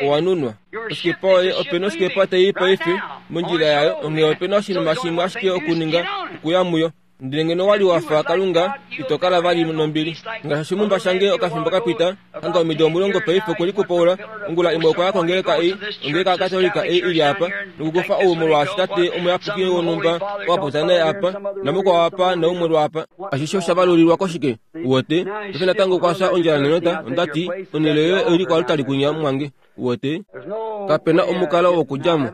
owa nunwa. Osikepa yoye, ope na osikepa tai i paife mondjila yayo, onghee ope na oshinima shimwe ashike okuninga, okuya muyo. Ndele ngeno wa li wa fa Kalunga, ito kala vali nombili. Ngaashi oshimumba shange okafimbo ka pita, hanga omido 10 paife okwe likupaula, ongula imwe okwa ya kongeleka ei, ongeleka yaKatolika ei i li apa, nokukufa ou molwaashi tate omuyapuki wonhumba owa popya naye apa, namukwao apa, naumwe lwaapa. Ashishe osha valulilwa koshike? Uwete? Paife natango okwa fya ondjala nenota, onda ti, Onhele yoye oi li koaltari kunya, mumwange. Uwete? Kape na omukalo wokudja mo.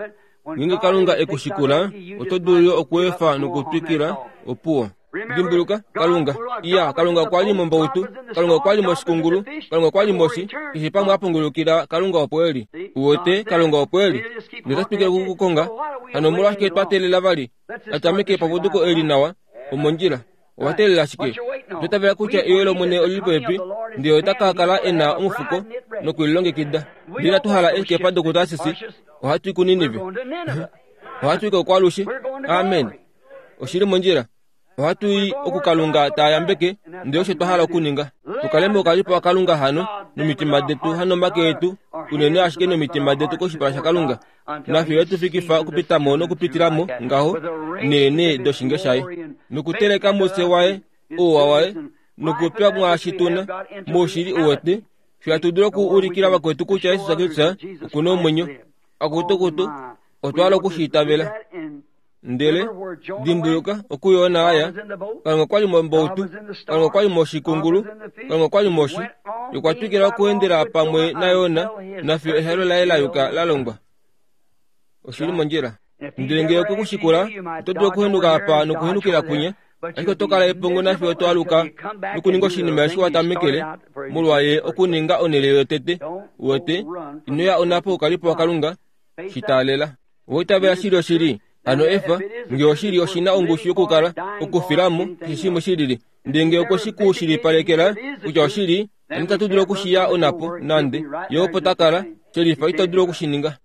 Ngeenge Kalunga e ku shikula, oto dulu yo okweefa nokutwikila. Opuwo. Dimbuluka, Kalunga. Iya, Kalunga okwa li mombautu. Kalunga okwa li moshikungulu. Kalunga okwa li moshi. Keshe pamwe a pungulukila, Kalunga opo e li. Uwete, Kalunga opo e li. Ndele ota twikile oku ku konga. Hano omolwashike twa teelela vali? A tameke epapuduko eli nawa, omondjila. Owa teelela shike? Otwa itavela kutya euyo lOmwene oli li popepi, ndele ota ka kala e na omufuko nokulilongekida. Ndele inatu hala eeskepa dokuTarsis, ohatu i kuNinive. Ohatu i kokwalushe. Amen. Oshi li mondjila. Ohatu i oku Kalunga ta yambeke, ndele osho twa hala okuninga. Tu kale moukalipo waKalunga hano, nomitima detu hanomake etu, unene ashike nomitima detu koshipala shaKalunga. Nafye oye tu fikifa okupita mo nokupitila mo ngaho neenee doshinge shaye, nokuteleka mufye waye ouwa waye, nokutwa mwaashi tu na, moushili u wete, fye hatu dulu okuulikila vakwetu kutya Jesus Kristus oku na omwenyo. Akutukutu, otwa hala oku shi itavela. Ndele, dimbuluka, okuyoona aya, Kalunga okwa li mombautu, Kalunga okwa li moshikungulu, Kalunga okwa li moshi. Ye okwa twikila okuendela pamwe naYona, nafiyo ehalo laye la yuka la longwa. Oshi li mondjila. Ndele ngee okwe ku shikula, oto dulu okuhenuka apa nokuhenukila kwinya, ashike oto kala epongo nafiyo to aluka nokuninga oshinima eshi wa tamekele, molwa ye okuninga onhele yotete. Uwete, ino ya onhapo oukalipo waKalunga, shi taalela. Owa itavela shili oshili? Hano efa, nge oshili oshi na ongushu yokukala, okufila mo, keshe shimwe shi lili. Ndele nge okwe shi ku shilipalekela kutya oshili, hano itatu dulu oku shi ya onhapo, nande. Ye opo ta kala, shelifa ito dulu oku shi ninga.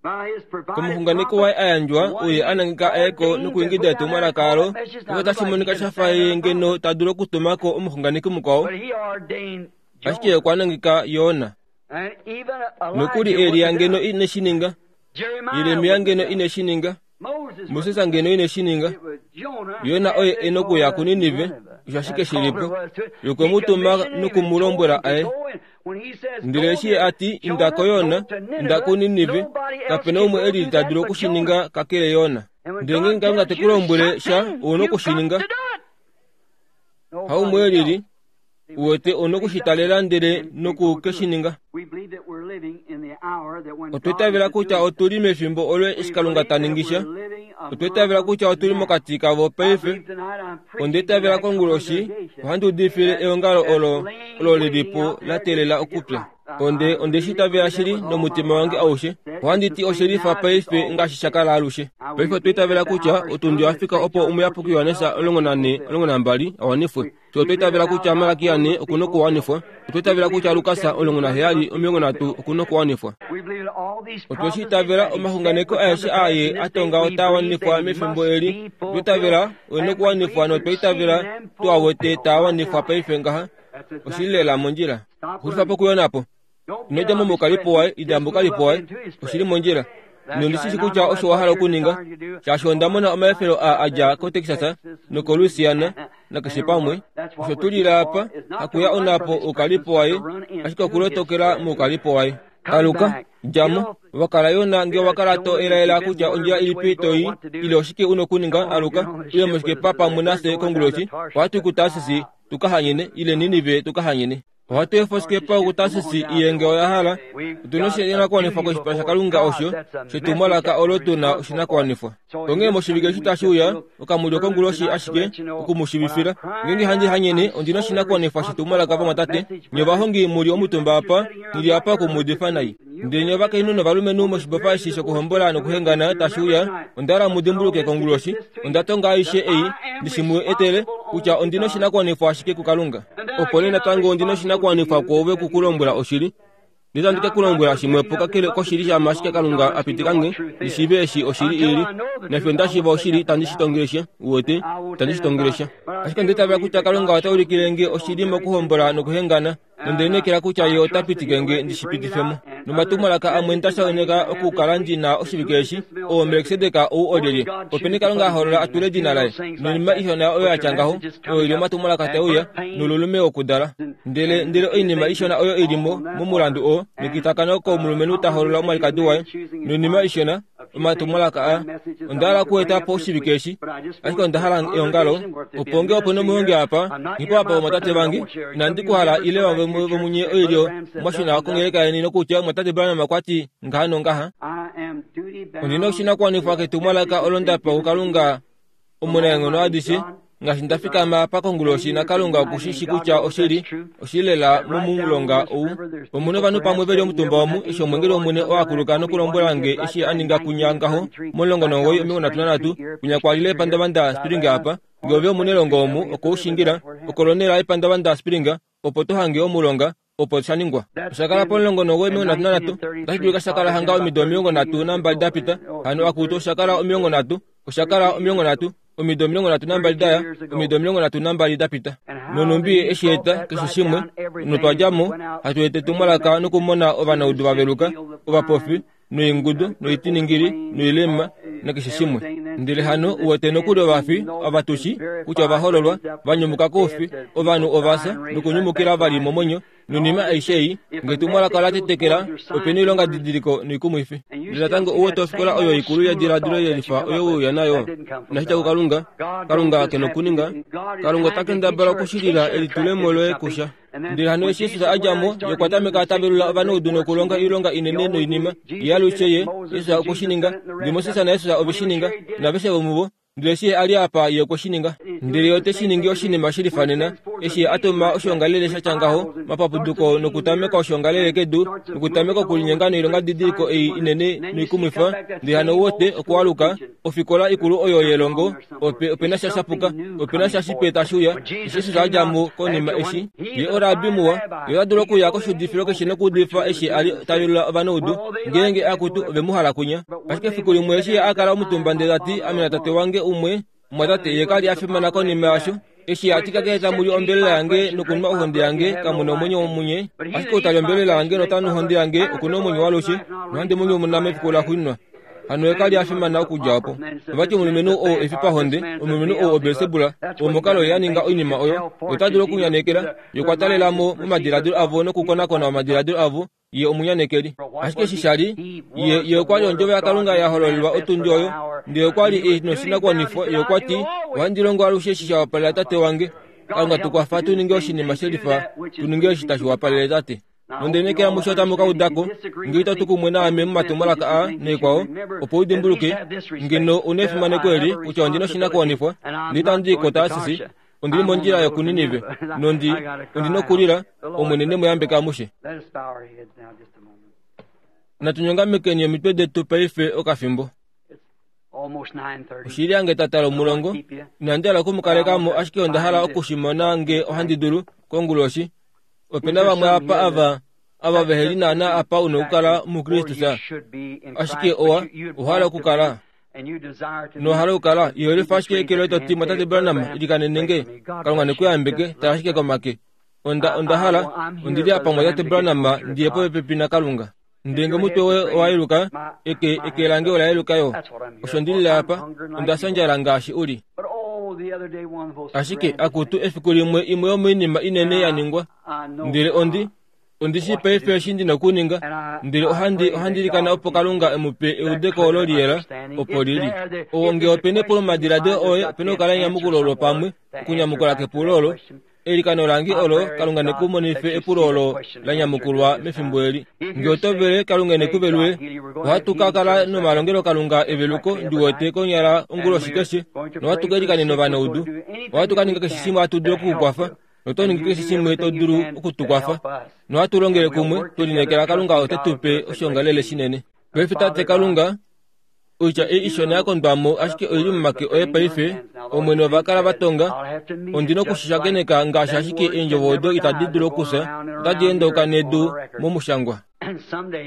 Komuxunganeki waye a yandjwa, oye a nangeka a ye ko nokuingida etumwalaka alo, opo tashi monika sha fa ye ngeno ta dulu okutuma ko omuxunganeki mukwao, ashike ye okwa nangeka Jona. Nokuli Elia ngeno ine shi ninga, Jeremia ngeno ine shi ninga, Moses ngeno ine shi ninga, Jona oye e nokuya kuNinive, osho ashike shi li po. Ye okwe mu tuma noku mu lombwela a ye. Ndele eshi ye a ti, Inda ko Jona, inda kuNinive, kape na umwe e lili ta dulu oku shi ninga kakele Jona. Ndele ngeenge Kalunga te ku lombwele sha, ou na oku shi ninga. Haumwe e lili, U wete, ou na oku shi talela ndele noku ke shi ninga. Otwa itavela kutya otu li mefimbo olo eshi Kalunga ta ningi sha. Otwa itavela kutya otu li mokati kavo paife. Onda itavela konguloshi ohandi udifile eongalo olo olo li li po la teelela okupya. Onde onde shi itavela shili nomutima wange aushe. Ohandi ti oshe lifa paife ngaashi sha kala alushe. Paife otwa itavela kutya otundi oya fika opo Omuyapuki Johannes 14 12 a wanifwe. Fye otwa itavela kutya Malaki ane oku na okuwanifwa. Otwa itavela kutya Lukas 17 30 oku na okuwanifwa. Otwe shi itavela omaxunganeko aeshe aa ye a tonga otaa wanifwa mefimbo eli. Otwa itavela oe na okuwanifwa notwa itavela tu a wete taa wanifwa paife ngaha. Oshi li lela mondjila. Xulifa po okuyona po. Ino dja mo moukalipo waye, inda moukalipo waye. Oshi li mondjila. Nondi shi shi kutya osho wa hala okuninga, shaashi onda mona omaefelo aa a dja koTexas nokoLouisiana nakeshe pamwe. Osho tu lila apa, hakuya onhapo oukalipo waye, ashike okulotokela moukalipo waye. Aluka, dja mo. Wa kala yo na nge owa kala to elaela kutya ondjila ilipi to i, ile oshike u na okuninga, aluka, uye moshikepa pamwe nafye konguloshi. Ohatu i kuTarsis tu ka hanyene, ile Ninive tu ka hanyene. Ohatu efa osikepa yokuTarsis i ye nge oya hala. Otu na oshinakuwanifwa koshipala shaKalunga osho shetumwalaka olo tu na oshinakuwanifwa. Onghee moshivike eshi tashi uya, okamulyo konguloshi ashike oku mu shiivifila. Ngeenge handi hanyene, ondi na oshinakuwanifwa shetumwalaka vamwatate, nye ovahongi mu li omutumba apa, nghi li apa oku mu udifa nai. Ndele nye ovakainhu novalumenhu moshibofa eshi shokuhombola nokuhengana tashi uya, onda hala mu dimbuluke konguloshi, onda tonga aishe ei, ndi shi mu etele, kutya ondi na oshinakuwanifwa ashike kuKalunga. Opo nee natango ondi na oshinakuwanifwa kwoove oku ku lombwela oshili. Ndele itandi ke ku lombwela shimwepo kakele koshili shama ashike Kalunga a pitika nge ndi shiive eshi oshili i li. Nafyo nda shiiva oshili, itandi shi tongele sha. Uwete? Itandi shi tongele sha. Ashike onda itavela kutya Kalunga ota ulikile nge oshili mokuhombola nokuhengana, nonde lineekela kutya Ye ota pitike nge ndi shi pitife mo. Nomatumwalaka amwe nda shakeneka okukala ndi na oshivike eshi, oo Melkisedek ou olyelye? Openi Kalunga a hoolola a tule edina laye? Noinima ishona oyo ya tya ngaho, oyo i li omatumwalaka tae uya, nolulume wokudala. Ndele, ndele oinima ishona oyo i li mo, momulandu oo, nekitakano komulumenhu ta hoolola omwalikadi waye, noinima ishona, omatumwalaka aa. Onda hala okueta po oshivike eshi, ashike onda hala eongalo, opo nge ope nomuhongi apa, nghi apa vomwatate vange, inandi ku hala ile vamwe vomunye oilyo mwa shuna kongeleka yeni nokutya omwatate Branham okwa ti ngaha nongaha. Ondi na oshinakuwanifwa ketumwalaka olo nda pewa kuKalunga Omunaenghono adishe, ngaashi nda fikama apa konguloshi naKalunga oku shi shi kutya oshili, oshili lela momulonga ou. Omu novanhu pamwe ve li omutumba omu, eshi omwengeli wOmwene oo a kuluka nokulombwela nge eshi a ninga kunya ngaho, mo-19 33, kwinya kwa lile epandavanda Spring apa. Nge ove omunelongo omu, oko u shingila, okolonela epandavanda Spring, opo to hange omulonga, opo sha ningwa. Osha kala po-19 33, otashi dulika sha kala hanga omido 32 da pita, hano akutu osha kala 30, osha kala 30, omido 32 da ya, omido 32 da pita. Nonhumbi ye eshi eta, keshe shimwe, notwa dja mo, hatu eta etumwalaka nokumona ovanaudu va veluka, ovapofi, noingudu, noitiningili, noilema, nakeshe shimwe. Ndele hano u wete nokuli ovafi, ava tu shi, kutya ova hololwa, va nyumuka koufi, ovanhu ova fya, nokunyumukila vali momwenyo, noinima aishe ei, nge etumwalaka ola tetekela, ope na oilongadidiliko noikumwifi. Ndele natango u wete ofikola oyo ikulu yediladilo yelifa oyo we uya nayo, inashi dja kuKalunga. Kalunga ke nokuninga. Kalunga ota kendabala okushilila elitulemo loye kusha. Ndele hano eshi Jesus a dja mo, ye okwa tameka ta velula ovanaudu nokulonga oilonga inene noinima. Ye alushe ye, Jesus okwe shi ninga. Ndele Moses naJesus ove shi ninga, naaveshe vomuvo. Ndele eshi Ye a li apa, Ye okwe shi ninga. Ndele Ye ote shi ningi oshinima shi lifanena, eshi Ye a tuma oshiongalele sha tya ngaho, omapapuduko nokutameka oshiongalele kedu, nokutameka okulinyenga noilongadidiliko ei inene noikumwifa, ndele hano wote okwaluka, ofikola ikulu oyo yelongo, ope, ope na sha shapuka, ope na sha shipe tashi uya, eshi Jesus a dja mo konima eshi ye orabi muwa, ye ota dulu okuya koshuudifilo keshe nokuudifa eshi a li ta velula ovanaudu, ngeenge akutu ove mu hala kwinya. Ashike efiku limwe eshi ye a kala omutumba ndele ta ti, Ame natate wange umwe, omwatate, ye ka li a fimana konima yasho. Eshi a ti, Kakele tamu li ombelela yange nokunwa ohonde yange, kamu na omwenyo munye. Ashike ou ta li ombelela yange nota nu ohonde yange, oku na omwenyo waalushe, nohandi mu nyumuna mefiku laxuuninwa. Hano ye ka li a fimana okudja opo. Ova ti omulumenhu oo efipahonde, omulumenhu oo oBelsebul, oo mokalo ye a ninga oinima oyo, ye ota dulu okunyanekela. Ye okwa talela mo momadiladilo avo nokukonakona omadiladilo avo, ye omunyanekeli. Ashike eshi sha li, ye, ye okwa li ondjovo yaKalunga ya hololelwa otundi oyo, ndele okwa li e noshinakuwanifwa. Ye okwa ti, Ohandi longo alushe eshi sha wapalela Tate wange. Kalunga tu kwafa tu ninge oshinima shelifa, tu ninge eshi tashi wapalele Tate. Nonde lineekela musho otamu ka uda ko, nge ito tu kumwe naame momatumwalaka aa naikwao, opo u dimbuluke, ngeno u na efimaneko eli, kutya ondi na oshinakuwanifwa, ndele itandi i koTarsis, ondi li mondjila yokuNinive, nondi, ondi na okulila, Omwene ne mu yambeke amushe. Natu nyongamekeni omitwe detu paife okafimbo. Oshili yange tata lomulongo, inandi hala oku mu kaleka mo, ashike onda hala oku shi mona nge ohandi dulu, konguloshi. Ope na vamwe apa ava, ava vehe li naana apa u nokukala muKristus, ashike owa, owa hala okukala. Nowa hala okukala. Iholifa ashike eke loye to ti, Mwatate Branham, ilikanene nge. Kalunga ne ku yambeke. Tala ashike komake. Onda, onda hala, ondi li apa, Mwatate Branham, ndi ye popepi naKalunga. Ndele nge omutwe woye owa yeluka, eke, eke lange ola yeluka yo. Osho ndi lile apa, onda fya ondjala ngaashi u li. Ashike, akutu, efiku limwe imwe yomoinima inene ya ningwa. Ndele ondi, ondi shii paife eshi ndi na okuninga, ndele ohandi, ohandi ilikana opo Kalunga e mu pe eudeko olo liyela, opo li li. Owo nge ope na epulo momadiladilo oye, ope na okukala enyamukulo olo pamwe, okunyamukula kepulo olo. Eilikano lange olo, Kalunga ne ku monife epulo olo la nyamukulwa mefimbo eli. Nge oto vele, Kalunga ne ku velule. Ohatu ka kala nomalongelokalunga eveluko, ndi wete, konyala onguloshi keshe, nohatu ka ilikanena ovanaudu. Ohatu ka ninga keshe shimwe hatu dulu oku ku kwafa, noto ningi keshe shimwe to dulu oku tu kwafa. Nohatu longele kumwe, twe lineekela Kalunga ote tu pe oshiongalele shinene. Paife, Tate Kalunga, Oitya ei ishona ya kondwa mo ashike oi li momake oye paife, Omwene ova kala va tonga. Ondi noku shi shakeneka ngaashi ashike eendjovo odo itadi dulu okufya, otadi endauka nedu momushangwa.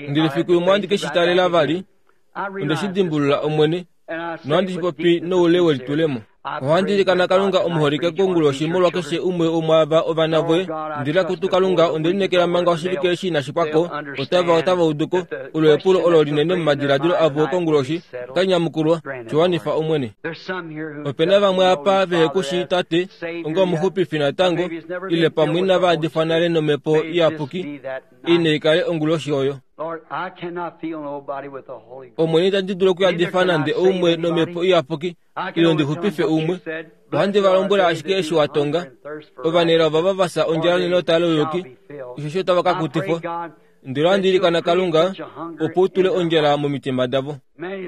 Ndele fiku limwe ohandi ke shi talela vali, onde shi dimbulula Omwene, nohandi shi popi noule welitulemo. Ohandi ilikana Kalunga omuholike konguloshi molwa keshe umwe womwaava ovana voye. Ndele akutu Kalunga, onde lineekela manga oshivike eshi inashi pwa ko, otava otava udu ko olo epulo olo linene momadiladilo avo konguloshi, otali nyamukulwa, Shi wanifa Omwene. Ope na vamwe apa vehe ku shii Tate onga omuxupifi natango, ile pamwe inava adifwa nale nOmhepo Iyapuki, ine i kale onguloshi oyo. Omwene itandi dulu okuyadifa nande oumwe nOmhepo Iyapuki, ile ndi xupife umwe. Ohandi va lombwela ashike eshi wa tonga. Ovanelao ovava va fya ondjala nenota louyuki, osheshi otava ka kutifwa. Ndele ohandi ilikana Kalunga, opo u tule ondjala momitima davo.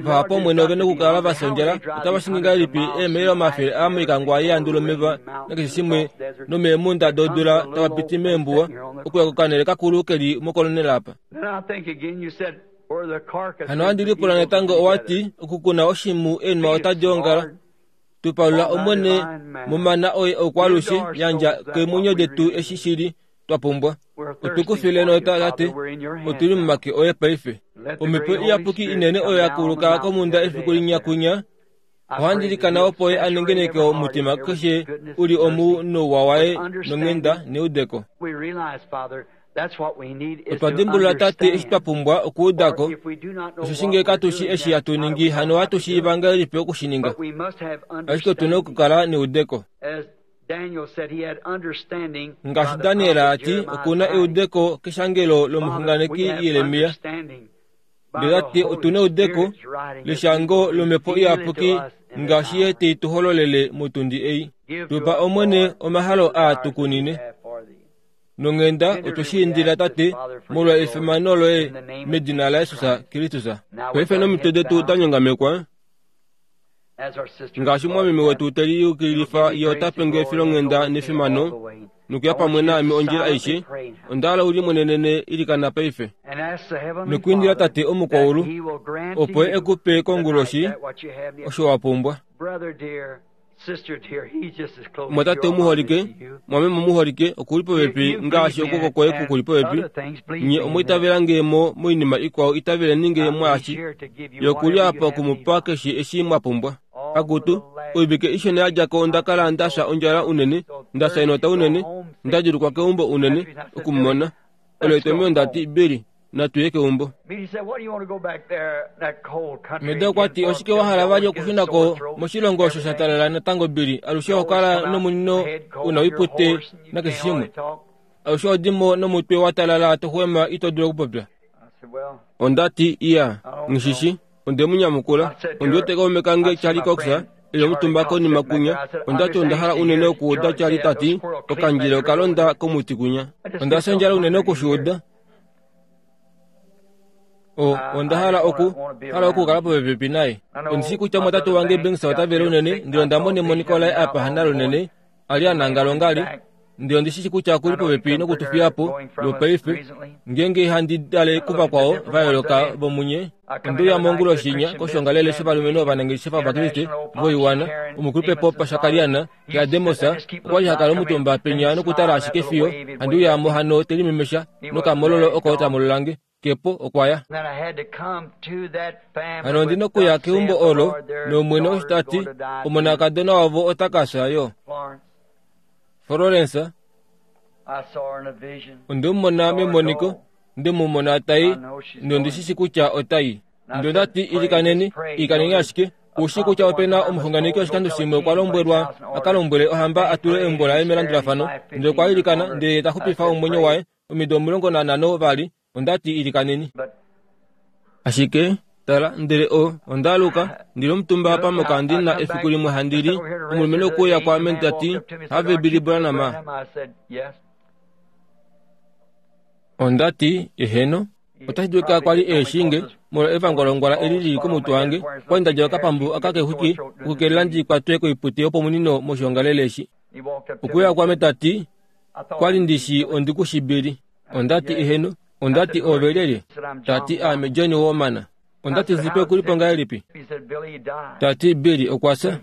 Vahapu Omwene ove nokukala va fya ondjala, otava shingi ngahelipi eemaila omafele aa moikangwa yeandu lomeva nakeshe shimwe nomeemhunda dodula tava piti meembuwa okuya kokanhele kakulu ke li mokolonela apa. Hano ohandi lipula natango owa ti, okukuna oshimhu eenhwa otadi ongala. Tu palula Omwene momana oye okwaalushe, yandja keemwenyo detu eshi shili twa pumbwa. Otu ku file nota, Tate, otu li momake oye paife. Omhepo Iyapuki inene oyo ya kuluka komhunda efiku linya kunya, ohandi ilikana opo Ye a nengeneke omutima keshe u li omu nouwa waye nonghenda neudeko. Otwa dimbulula, Tate, eshi twa pumbwa okuuda ko, osheshi ngee katu shi eshi hatu ningi, hano ohatu shiiva ngahelipi oku shi ninga? Ashike otu na okukala neudeko. Ngaashi Daniel a ti, oku na eudeko keshangelo lomuxunganeki Jeremia. Ndele ta ti otu na eudeko leshango lOmhepo Iyapuki ngaashi Ye te i tu hololele motundi ei. Tu pa, Omwene, omahalo aa tu kunine. Nonghenda otwe shi indila, Tate, molwa efimano Loye, medina laJesus Kristus. Paife nomitwe detu da nyongamekwa, Ngaashi omumwameme wetu te liyukililifa ye ota pe nge efilonghenda nefimano nokuya pamwe naame ondjila aishe, onda hala u limwenenene ilikana paife. Nokwiindila Tate omukwaulu opo e ku pe konguloshi osho wa pumbwa. Mwatate omuholike, mwameme omuholike, oku li popepi ngaashi okwooko kwoye ku li popepi. Nye omwa itavela nge mo moinima ikwao, itaveleni nge mwaashi. Ye oku li apa oku mu pa keshe eshi mwa pumbwa. Akutu, oivike ishona ya dja ko onda kala nda fya ondjala unene, nda fya enota unene, nda djulukwa keumbo unene, oku mu mona. Olo etomheno nda ti, Billy, natu ye keumbo. Meda okwa ti, Oshike wa hala vali okushuna ko moshilongo osho sha talala natango, Billy? Alushe oho kala nomunino u na oipute nakeshe shimwe. Alushe oho di mo nomutwe wa talala to xwema ito dulu okupopya. Onda ti, Iya, nghi shi. Onde mu nyamukula, Ondi wete kaume kange Charlie Cox e li omutumba konima kunya. Onda ti onda hala unene okuuda Charlie ta ti, Okandjila oka londa komuti kunya. Onda fya ondjala unene oku shi uda. O, onda hala oku, hala okukala popepi naye. Ondi shii kutya omwatate wange Banks ota vele unene, ndele onda mona emoniko laye apa hanalunene, a li a nangala ongali, ndele ondi shi shi kutya oku li popepi noku tu fiya po lwopaife, ngeenge handi tale kuvakwao va yooloka vomunye. Onde uya monguloshi inya koshoongalele shovalumenhu ovanangeshefa Ovakriste voiwana, omukulupe Pop Shakariana yaDemos okwa li ha kala omutumba penya nokutala ashike fiyo handi uya mo hano te limemesha nokamololo oko ta mololange. Kepo okwa ya. Hano ondi nokuya keumbo olo, nOmwene osho ta ti, omonakadona wavo ota ka fya yo. Florence, onde mu mona memoniko, nde mu mona ta i, nondi shi shi kutya ota i. Ndele onda ti, Ilikaneni, ilikaneni ashike. Ou shii kutya ope na omuxunganeki oshikando shimwe okwa lombwelwa a ka lombwele ohamba a tule eumbo laye melandulafano, ndele okwa ilikana, ndele ye ta xupifa omwenyo waye. Omido 15 vali, onda ti, Ilikaneni. Ashike, tala, ndele o, onda aluka, ndi li omutumba apa mokandi na efiku limwe handi li, omulumenhu okwe uya kwaame ta ti, Have Billy Branham? Onda ti, Eheno. Otashi dulika kwa li e shii nge, molwa evangwalongwala eli li li komutwe wange, kwa li nda djala okapambu aka kexwiki okukelela ndi kwatwe koipute yopomunino moshiongalele eshi. Okwe uya kwaame ta ti, Kwa li ndi shii ondi ku shi Billy. Onda ti, Eheno. Onda ti, Oove lyelye? Ta ti, Aame Johnny Woomana. Onda ti, Zipe oku li po ngahelipi? Ta ti, Billy okwa fya.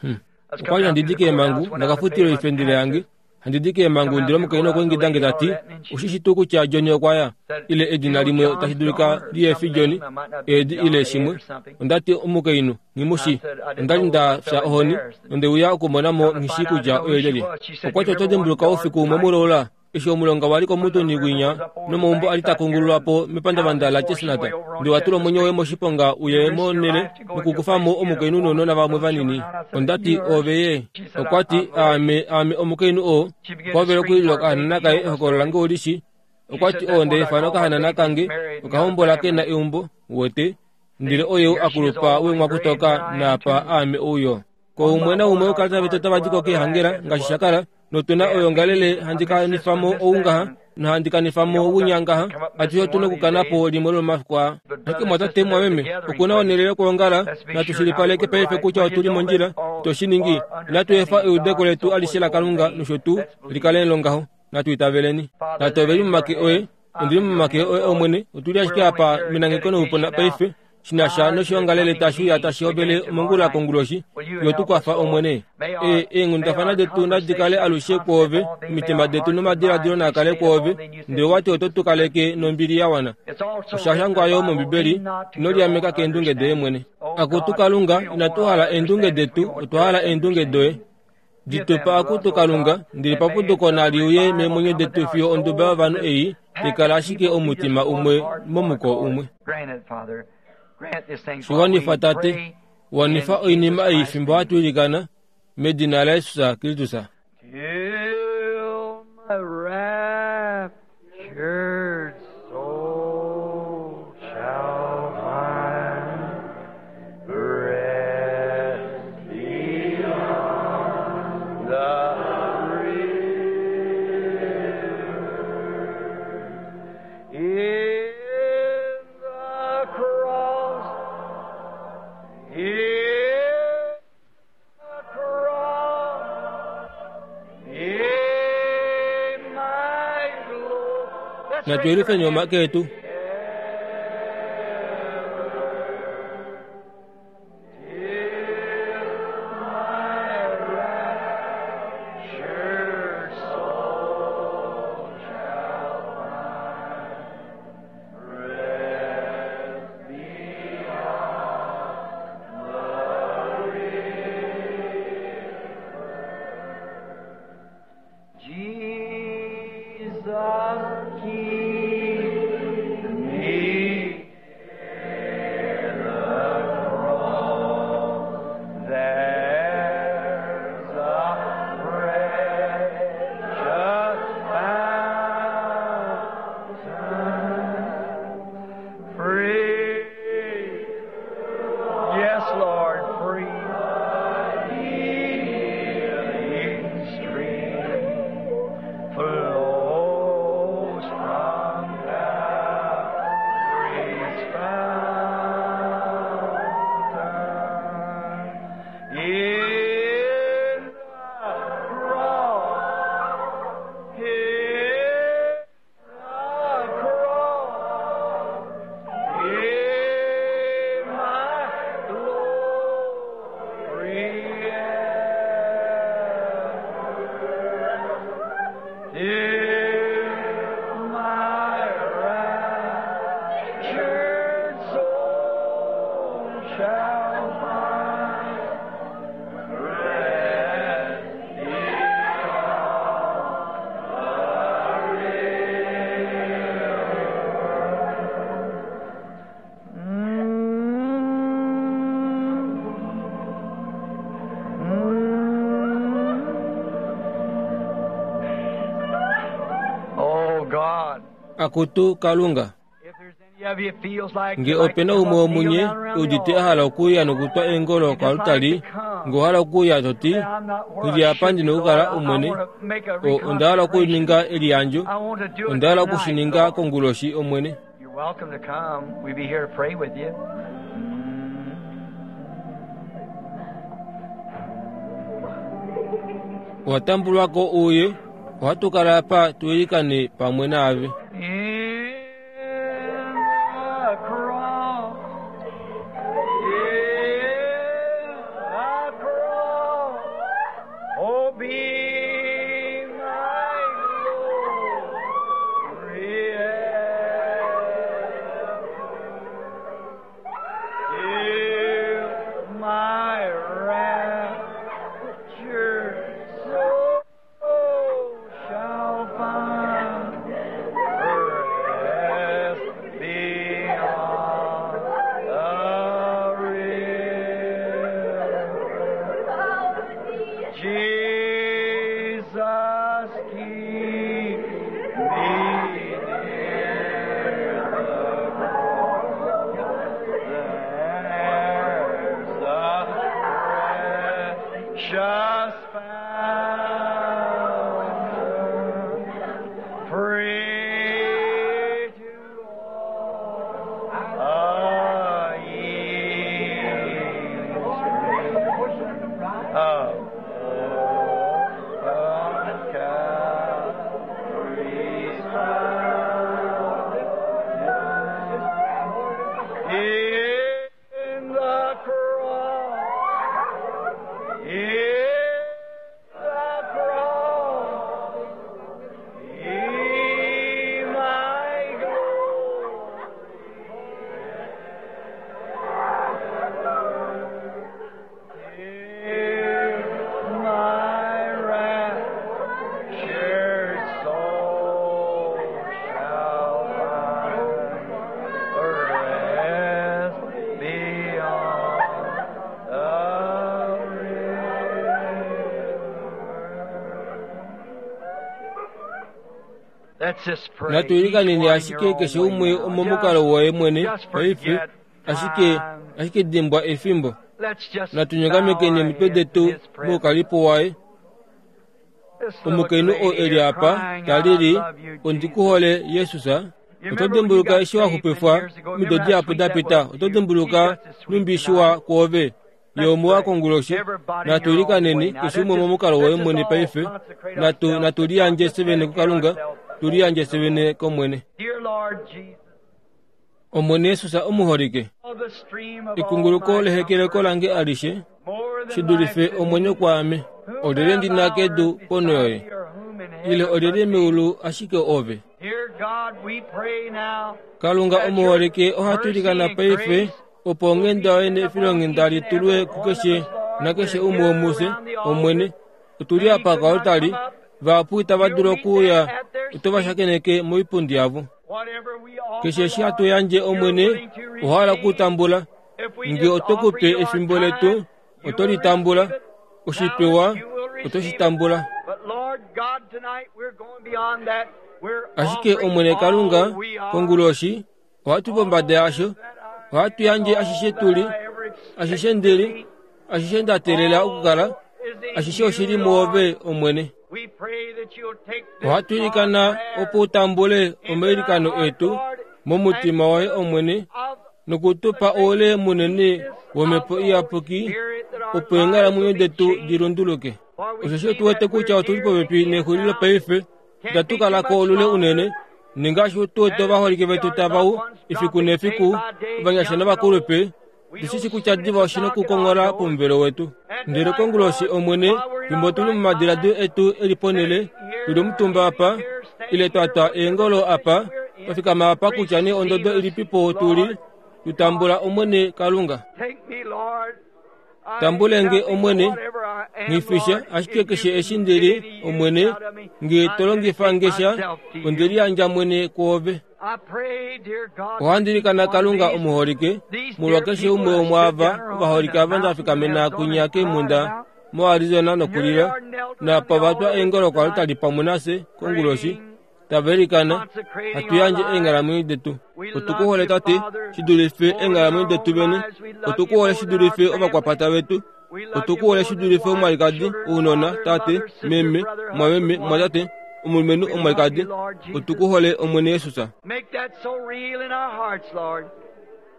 Hm. Okwa li handi di keemhangu, nda ka futila oifendele yange. Handi di keemhangu ndele omukainhu okwa ingida nge ta ti, Oshi shi tuu kutya Johnny okwa ya? Ile edina limwe tashi dulika li efi Johnny, Ed ile shimwe. Onda ti, Omukainhu, nghi mu shii. Onda li nda fya ohoni nonde uya okumona mo nghi shii kutya oye lyelye. Okwa ti, Oto dimbuluka oufiku umwe muloula eshi omulonga wa li komutuni winya nomaumbo a li ta kungululwa po mepandavanda laChestnut, ndele wa tula omwenyo woye moshiponga u ye monhele nokukufa mo omukainhu nounona vamwe vanini. Onda ti, Oove ye? Okwa ti, Aame, aame omukainhu oo. Okwa hovela okulila okahanana kaye ehokololo lange oli shi. Okwa ti, Oo nda ifana okahanana kange, okahombola ke na eumbo, uwete, ndele oyou a kulupa weenghwakutoka naapa aame ouyo. Koumwe naumwe wokalata vetu otava di ko keehangela ngaashi sha kala, notu na oyongalele handi kanifa mo ou ngaha nohandi kanifa mo winya ngaha, atushe otu na okukana po limwe lomomafiku aa. Ashike mwatate mwameme, oku na onhele yokwoongala, natu shilipaleke paife kutya otu li mondjila, to shi ningi. Inatu efa eudeko letu alishe laKalunga nosho tuu li kale longaho. Natu itaveleni. Tate, ove li momake oye. Ondi li momake oye, Omwene. Otu li ashike apa menangeko noupuna paife. shi na sha noshiongalele tashi uya tashi hovele mongula konguloshi, yo tu kwafa, Omwene. E, eenghundafana detu nadi kale alushe kwoove, omitima detu nomadiladilo naa kale kwoove, ndele owa ti oto tu kaleke nombili ya wana. Osha shangwa yo mOmbibeli, Ino liameka keendunge doye mwene. Akutu Kalunga, inatu hala eendunge detu, otwa hala eendunge doye. Di tu pa, akutu Kalunga, ndele paputuko nali uye meemwenyo detu fiyo onduba yovanhu ei tai kala ashike omutima umwe momuko umwe. Shi wanifa, Tate. Wanifa oinima ei fimbo hatu ilikana, medina laJesus Kristus. Till my raptured soul shall find rest beyond the river. In the cross, in the cross, in my glory. Let's Natu raise our yelufeni hands. omake etu. Jesus, keep me near the cross. There's a precious fountain, free. Yes, Lord, free. Healing stream flows from Calvary's fountain. In the cross, in the cross, in my glory ever. In my raptured soul shall find rest beyond the river. Oh God. Akutu Kalunga. If there's any of you feels like Nge ope na umwe womunye udite a hala okuuya nokutwa eengolo koalutali, nge owa hala okuuya to ti, Ndi apa ndi na okukala Omwene, o, onda hala okuninga eliyandjo, I want to do it onda hala tonight, oku shi ninga Lord. konguloshi, Omwene. You're welcome to come. We'll be here to pray with you. Owa tambulwa ko uye, ohatu kala apa tu ilikane pamwe naave. In the cross, in the cross, oh, be my Jesus, keep me near the cross. There's a precious fountain, free to all a ye of open Calvary's fountain. In the cross, in the cross, be my glory. Here my raptured soul shall find rest beyond the river. Let's just pray. Natuilikaneni Each one in ashike your own keshe way umwe now. omomukalo woye mwene Just paife forget ashike time. ashike dimbwa efimbo Let's just natunyongamekeni bow our emitwe heads detu in His presence. moukalipo waye This little omukainhu oo lady eli here apa crying out, talili "I love you, ondi Jesus." ku hole yesus You oto remember when you dimbuluka got eshi wa saved many xupifwa years ago? omido Remember how dihapu sweet da that pita was to oto you? dimbuluka He's just as sweet numbishi wa tonight. kwoove ye Let's omuwa pray. konguloshi Everybody in your own way natuilikaneni now. keshe Let's umwe just, momukalo woye let's just mwene all paife consecrate natu ourselves to God. natuliyandje Just sevene dedicate kukalunga ourselves tuliyandje to the Lord. sevene komwene Dear Lord Jesus, omwene yesus omuholike oh, the stream of all ekunguluko my lehekeleko comfort, lange alishe more than shi life dulife to me. omwenyo kwaame Whom olyelye have ndi thou na on kedu earth pono beside yoye thee, or whom in ile heaven but olyelye thee? meulu ashike ove Dear God, we pray now kalunga that your omuholike ohatu mercy ilikana and paife grace opo will be onghenda yoye sent upon nefilonghenda each and litulwe every one of kukeshe us, Lord. nakeshe We're umwe here womufye around the omwene altar. otuli Many apa could not kaolutali come up. vahapu itava You'll dulu meet them okuuya at their oto va seat. shakeneke moipundi yavo Whatever we offer, keshe eshi hatu Lord, yandje you're omwene willing to owahala receive. okutambula If we nge just oto offer kupe you our efimbo time, letu you oto will litambula receive it. oshipewa Talent, you will oto receive shi it. tambula But Lord God, tonight we're going beyond that. We're ashike offering omwene kalunga all we are, konguloshi ohatu pombada yasho all that I ohatu am, yandje all ashishe that tuli I ever ashishe expected to ndili be. ashishe nda teelela okukala All is in ashishe oshili you, mwoove Lord. omwene We pray that you'll take this ohatu our ilikana prayer opo utambule into thy omailikano heart, etu Lord, and momutima woye give us omwene of nokutupa the great oule munene peace womhepo of the Holy iyapuki Spirit that our opo lives will eenghalamwenyo be detu changed. dilunduluke For we osheshi see otu wete that kutya we're otuli near the popepi end nexulilo now. paife Can't itatu be too kalako much olule unene longer. ningaashi tu wete As we ovaholike see vetu our tavau loved ones efiku dropping day nefiku by day, ovanyasha young and old, novakulupe we know ndishishi kutya soon diva it's a oshina knock at our okukonghola door. pomuvelo wetu And ndele tonight, konguloshi Lord, omwene while we're in fimbo our tuli right momadiladilo mind, etu eli ponele sitting tuli here, omutumba apa kneeling here, ile standing twa here, twa whatever eengolo apa position we're in, twafikama apa kutya nee ondodo receive us, ilipipo tuli Lord tutambula God. omwene kalunga Take me, Lord. I tambulenge nothing, omwene whatever I am, nghifisha Lord. ashike If keshe you eshi can ndili get any use omwene out of me, nge I tolongifa dedicate ngesha myself to you. ondeliyandja mwene kwoove I pray, dear God, for each ohandilikana one of kalunga these, omuholike these molwa dear keshe people umwe that stood womwaava down on ovaholike the ava mountain in ndafikamena Arizona kunya and cried keemhunda out. moarizona And here they nokulila are knelt around napa the vatwa altar with us eengolo tonight, kwalutali pamwe nase konguloshi praying, tava ilikana consecrating hatu our yandje lives. eenghalamwenyo detu We otu love ku hole you, tate Father, shi dulife more than eenghalamwenyo our detu own vene lives. We love otu you ku hole more shi than our dulife family. ovakwapata vetu We love otu you ku hole more shi than dulife wife, omwalikadi children, ounona father, tate mother, sister, meme brother, mwameme husband, wife. mwatate omulumenhu We love omwalikadi you, Lord otu Jesus. ku hole omwene yesus Make that so real in our hearts, Lord.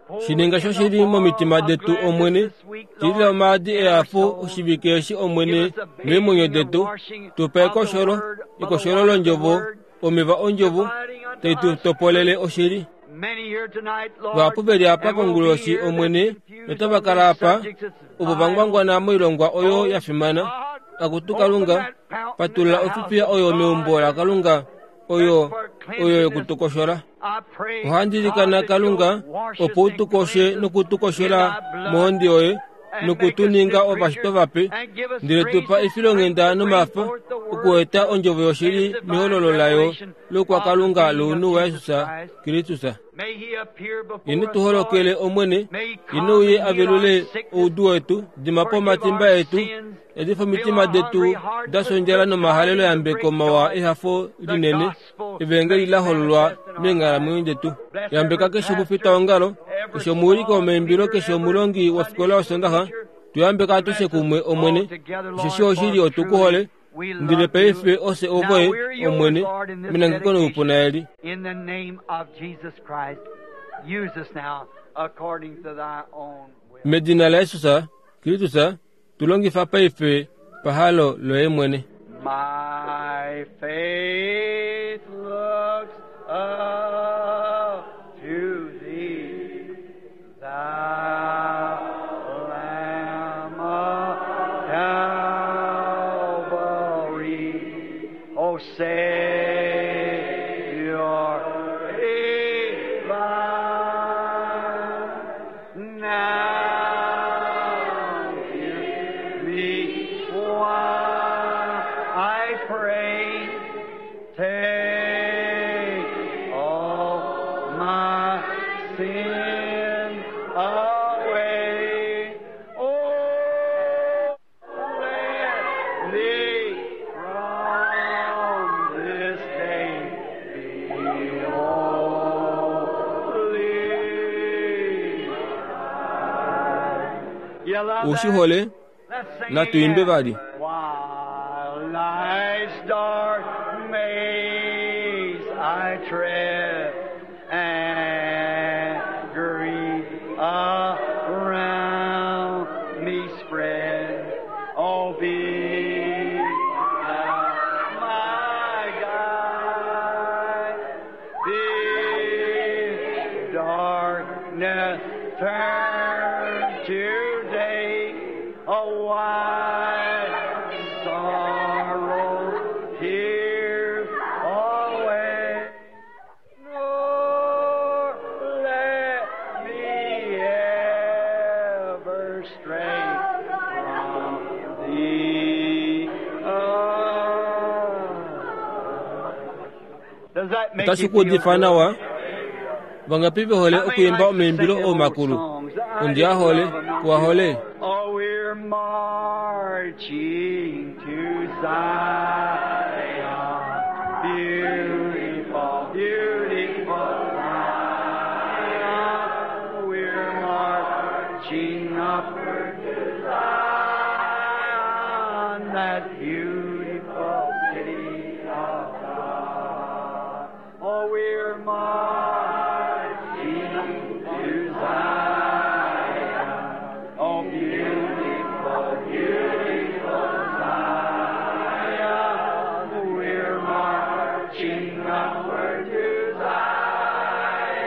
Pour shininga in sho the shili oil momitima of detu gladness omwene this week, tilila Lord, omaadi in our ehafo souls. oshivike eshi Give omwene us a meemwenyo bathing and detu washing tupa of the ekosholo word by the ekosholo water of the londjovo word, omeva ondjovo dividing unto tai tu us topolele truth. oshili Many here tonight, Lord, vahapu veli apa and will be konguloshi here that's omwene confused notava on kala these apa subjects that's ovo vital. vangwangwana moilongwa oyo Oh ya fimana God, akutu open kalunga that fountain in patulula the house ofifiya of oyo God meumbo lakalunga oyo that's for oyo cleanliness. yokutukoshola I pray, ohandi God, ilikana that kalunga you'll wash us opo and utukoshe cleanse us in nokutukoshola thy blood. mohondi yoye Noku tu ninga ovashitwa vape, ndele tu pa efilonghenda nomafa okueta ondjovo yoshili mehololo layo lokwakalunga lounhu waJesus Kristus. Ino tu holokele Omwene, ino uye a velule oudu wetu, dima po omatimba etu, yadifa omitima detu da sondjala nomahalelo yambeko mawa ehafo linene, evangeli la hololwa meenghalamwenyo detu. Yambeka keshe omufitaongalo, keshe omuwiliki womaimbilo, keshe omulongi wofikola yosondaxa, tu yambeka atushe kumwe, Omwene, osheshi oshili otu ku hole, ndele paife ofye ovoye, Omwene, menangeko noupuna eli. Medina laJesus Kristus, tu longifa paife pahalo loye mwene. My faith looks up to thee, thou Lamb of Calvary, O Savior divine. Now hear me while I pray. Take all my sin away. Oh, let me from this day be holy. You love Ushi that? hole, Let's sing natu imbe again. vali. While life's dark maze I tread, and grief around me spread, oh, be thou my guide. Be darkness turn to day, a wide sorrow here away. Nor let me ever stray from thee. Does that make Otashi you ku feel udifa good? nawa. Vangapi ve hole okuimba omaimbilo oomakulu? Ondi a hole, kuwa hole. Oh, we're marching to Zion, beautiful, beautiful Zion. We're marching upward to Zion, that beautiful city of God. Oh, we're marching to Zion. Oh, beautiful, beautiful Zion. We're marching upward to Zion,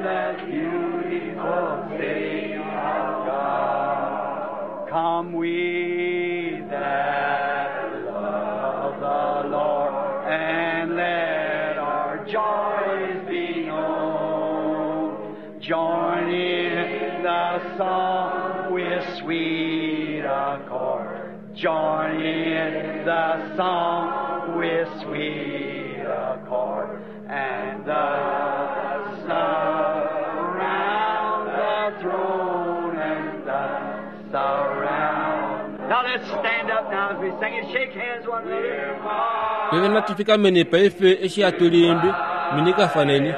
that beautiful city of God. Come we that love the Lord, and let our joys be known. Join in the song with sweet accord. Join in the song with sweet accord. And the surround the throne and the surround. Now let's stand up now as we sing and shake hands one another. Peve natufikameni paife eshi hatu liimbi, minikafaneni.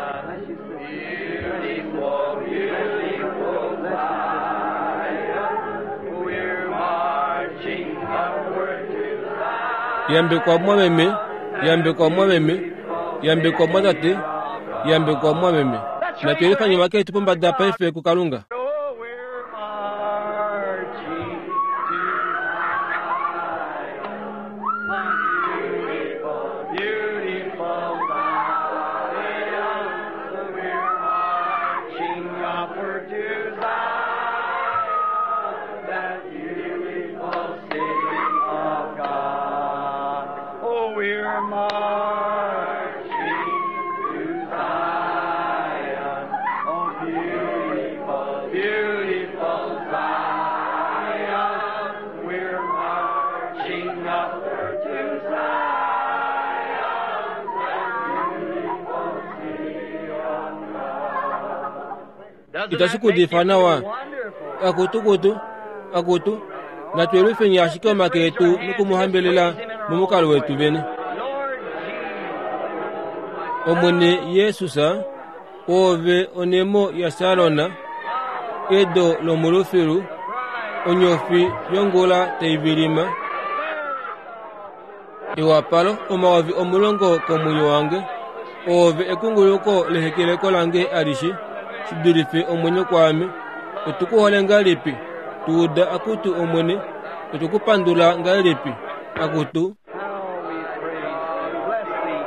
Beautiful, beautiful Zion. We're marching upward to Zion. Yambekwa mwameme, yambekwa mwameme, yambekwa mwatate, yambekwa mwameme. Natuelifanye maketu pombada paife kukalunga. Oh, we're marching to Zion. Beautiful, beautiful Zion. We're marching upward to Zion, that beautiful city of God. Oh, we're marching to Zion. Oh, beautiful, Marching upward to Zion, that beautiful city of God. Itashi kudifa nawa. Akutu kutu akutu natwelufeni ashike omake etu nokumuhambelela momukalo wetu vene. Omwene Yesus, Oove onemo yaSarona, edo lomulufilu, onyofi yongula tai vilima. Ewapalo 10,000 komwenyo wange, Oove ekunguluko lehekeleko lange alishe, shi dulife omwenyo kwaame. Otu ku hole ngahelipi, tu uda akutu Omwene, otu ku pandula ngahelipi, akutu. How we praise thee. Bless thee,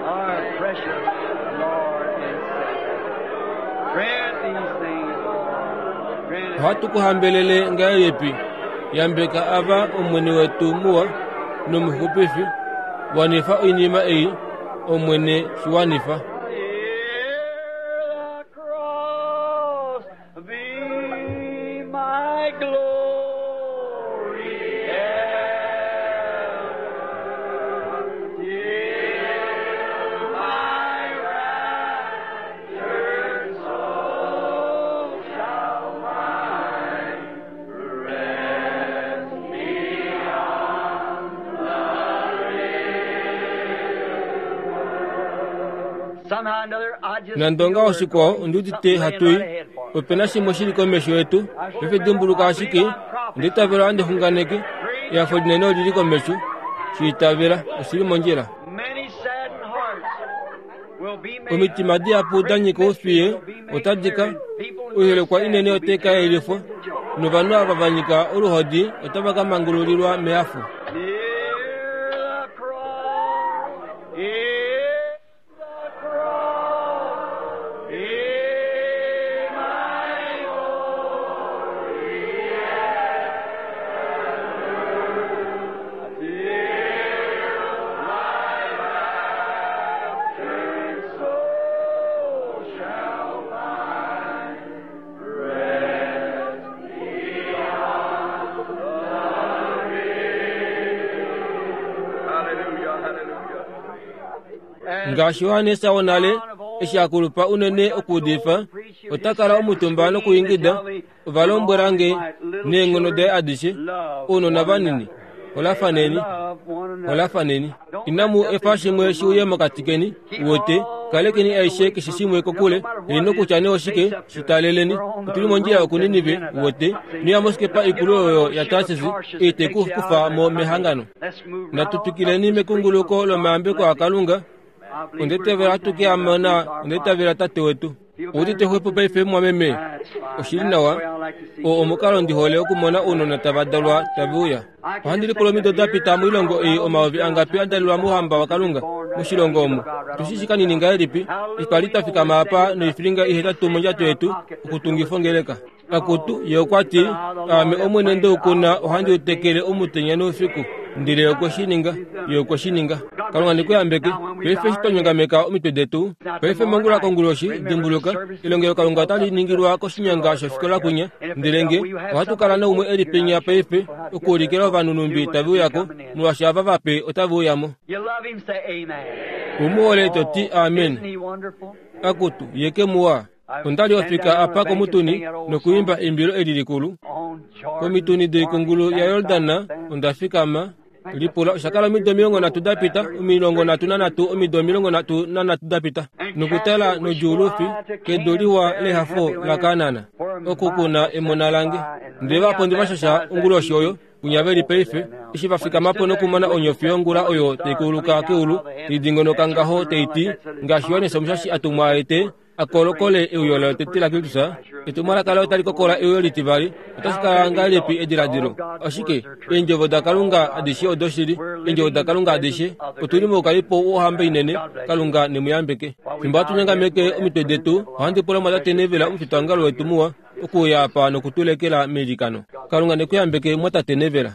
our precious Lord and Savior. Grant these things, Lord. Grant it. Ohatu ku hambelele ngahelipi, yambeka ava Omwene wetu muwa nomuxupifi, wanifa oinima ei, Omwene, shi wanifa. Hear the cross be my glory ever, till my raptured soul shall find rest beyond the Somehow or another, I just Nande ongaho shikwao ondi udite hatu i, ope na shimwe shi li komesho yetu, paife dimbuluka ashike, onda itavela ohandi xunganeke, ehafo linene oli li komesho, shi itavela, oshi li mondjila. Many saddened hearts will be made Omitima dihapu da nyika oufiye otadi ka oihelekwa inene otai ka yelifwa, novanhu ava va nyika oluhodi otava ka mangululilwa mehafo. Near the cross, near the cross, be my glory ever, till my raptured soul shall find rest beyond Hallelujah, hallelujah. Ngaashi Johannes wonale, eshi a kulupa unene okuudifa, ota kala omutumba nokuingida, Ova lombwela nge neenghono daye adishe, ounona vanini, holafaneni, holafaneni. Inamu efa shimwe shi uye mokati keni, uwete, kalekeni aishe keshe shimwe kokule, heino kutya nee oshike, shi taleleni. Otu li mondjila yokuNinive, uwete, noya mosikepa ikulu oyo yaTarsis, ei te ku kufa mo mehangano. Natu twikileni mekunguluko lomayambeko aKalunga. Onde tavela hatu ke a mona, onde tavela Tate wetu. Oudite xwepo paife, mumwameme? Oshi li nawa. Oo omukalo ndi hole okumona ounona tava dalwa tave uya. Ohandi lipula omido da pita moilongo ei omayovi angapi a dalelwa mOuhamba waKalunga, moshilongo omu. Otu shi shii kanini ngahelipi, eshi twa li twa fikama apa noifilinga ihetatu mondjato yetu, okutungifa ongeleka. Akutu, ye okwa ti, Aame Omwene nde u kuna ohandi u tekele omutenya noufiku. Ndele ye okwe shi ninga. Ye okwe shi ninga. Kalunga ne ku yambeke. Paife eshi twa nyongameka omitwe detu, paife mongula konguloshi, dimbuluka, elongelokalunga otali ningilwa koshinyanga shofikola kwinya. Ndele nge ohatu kala naumwe e li penya paife, okuulikila ovanhu nhumbi tave uya ko, molwaashi ava vape otave uya mo. You love him, say amen. U mu hole to ti amen. Isn't he wonderful? Akutu, ye ke muwa. Onda li ofika apa komutuni nokuimba eimbilo eli likulu. Komituni doikungulu yaJordan onda fikama. Lipula, osha kala omido 30 da pita, 33, omido 33 da pita. Nokutala nodjuulufi kedu liwa lehafo laKaanan, oku ku na emona lange. Ndele vapondi va shasha onguloshi oyo, kwinya ve li paife, eshi va fikama po nokumona onyofi yongula oyo tai kuluka keulu, tai dingonoka ngaho tai ti, ngaashi Johannes Omushashi a tumwa a ete, a kolokole euyo lotete laKristus, etumwalaka laye otali kokola euyo litivali. Otashi kala ngahelipi ediladilo? Ashike, Eendjovo daKalunga adishe odoshili, Eendjovo daKalunga adishe. Otu li moukalipo wOhamba inene. Kalunga ne mu yambeke. Fimbo hatu nyangameke omitwe detu, ohandi pula Mwatate Neville, omufitaongalo wetu muwa, okuuya apa noku tu lekela meilikano. Kalunga ne ku yambeke, Mwatate Neville.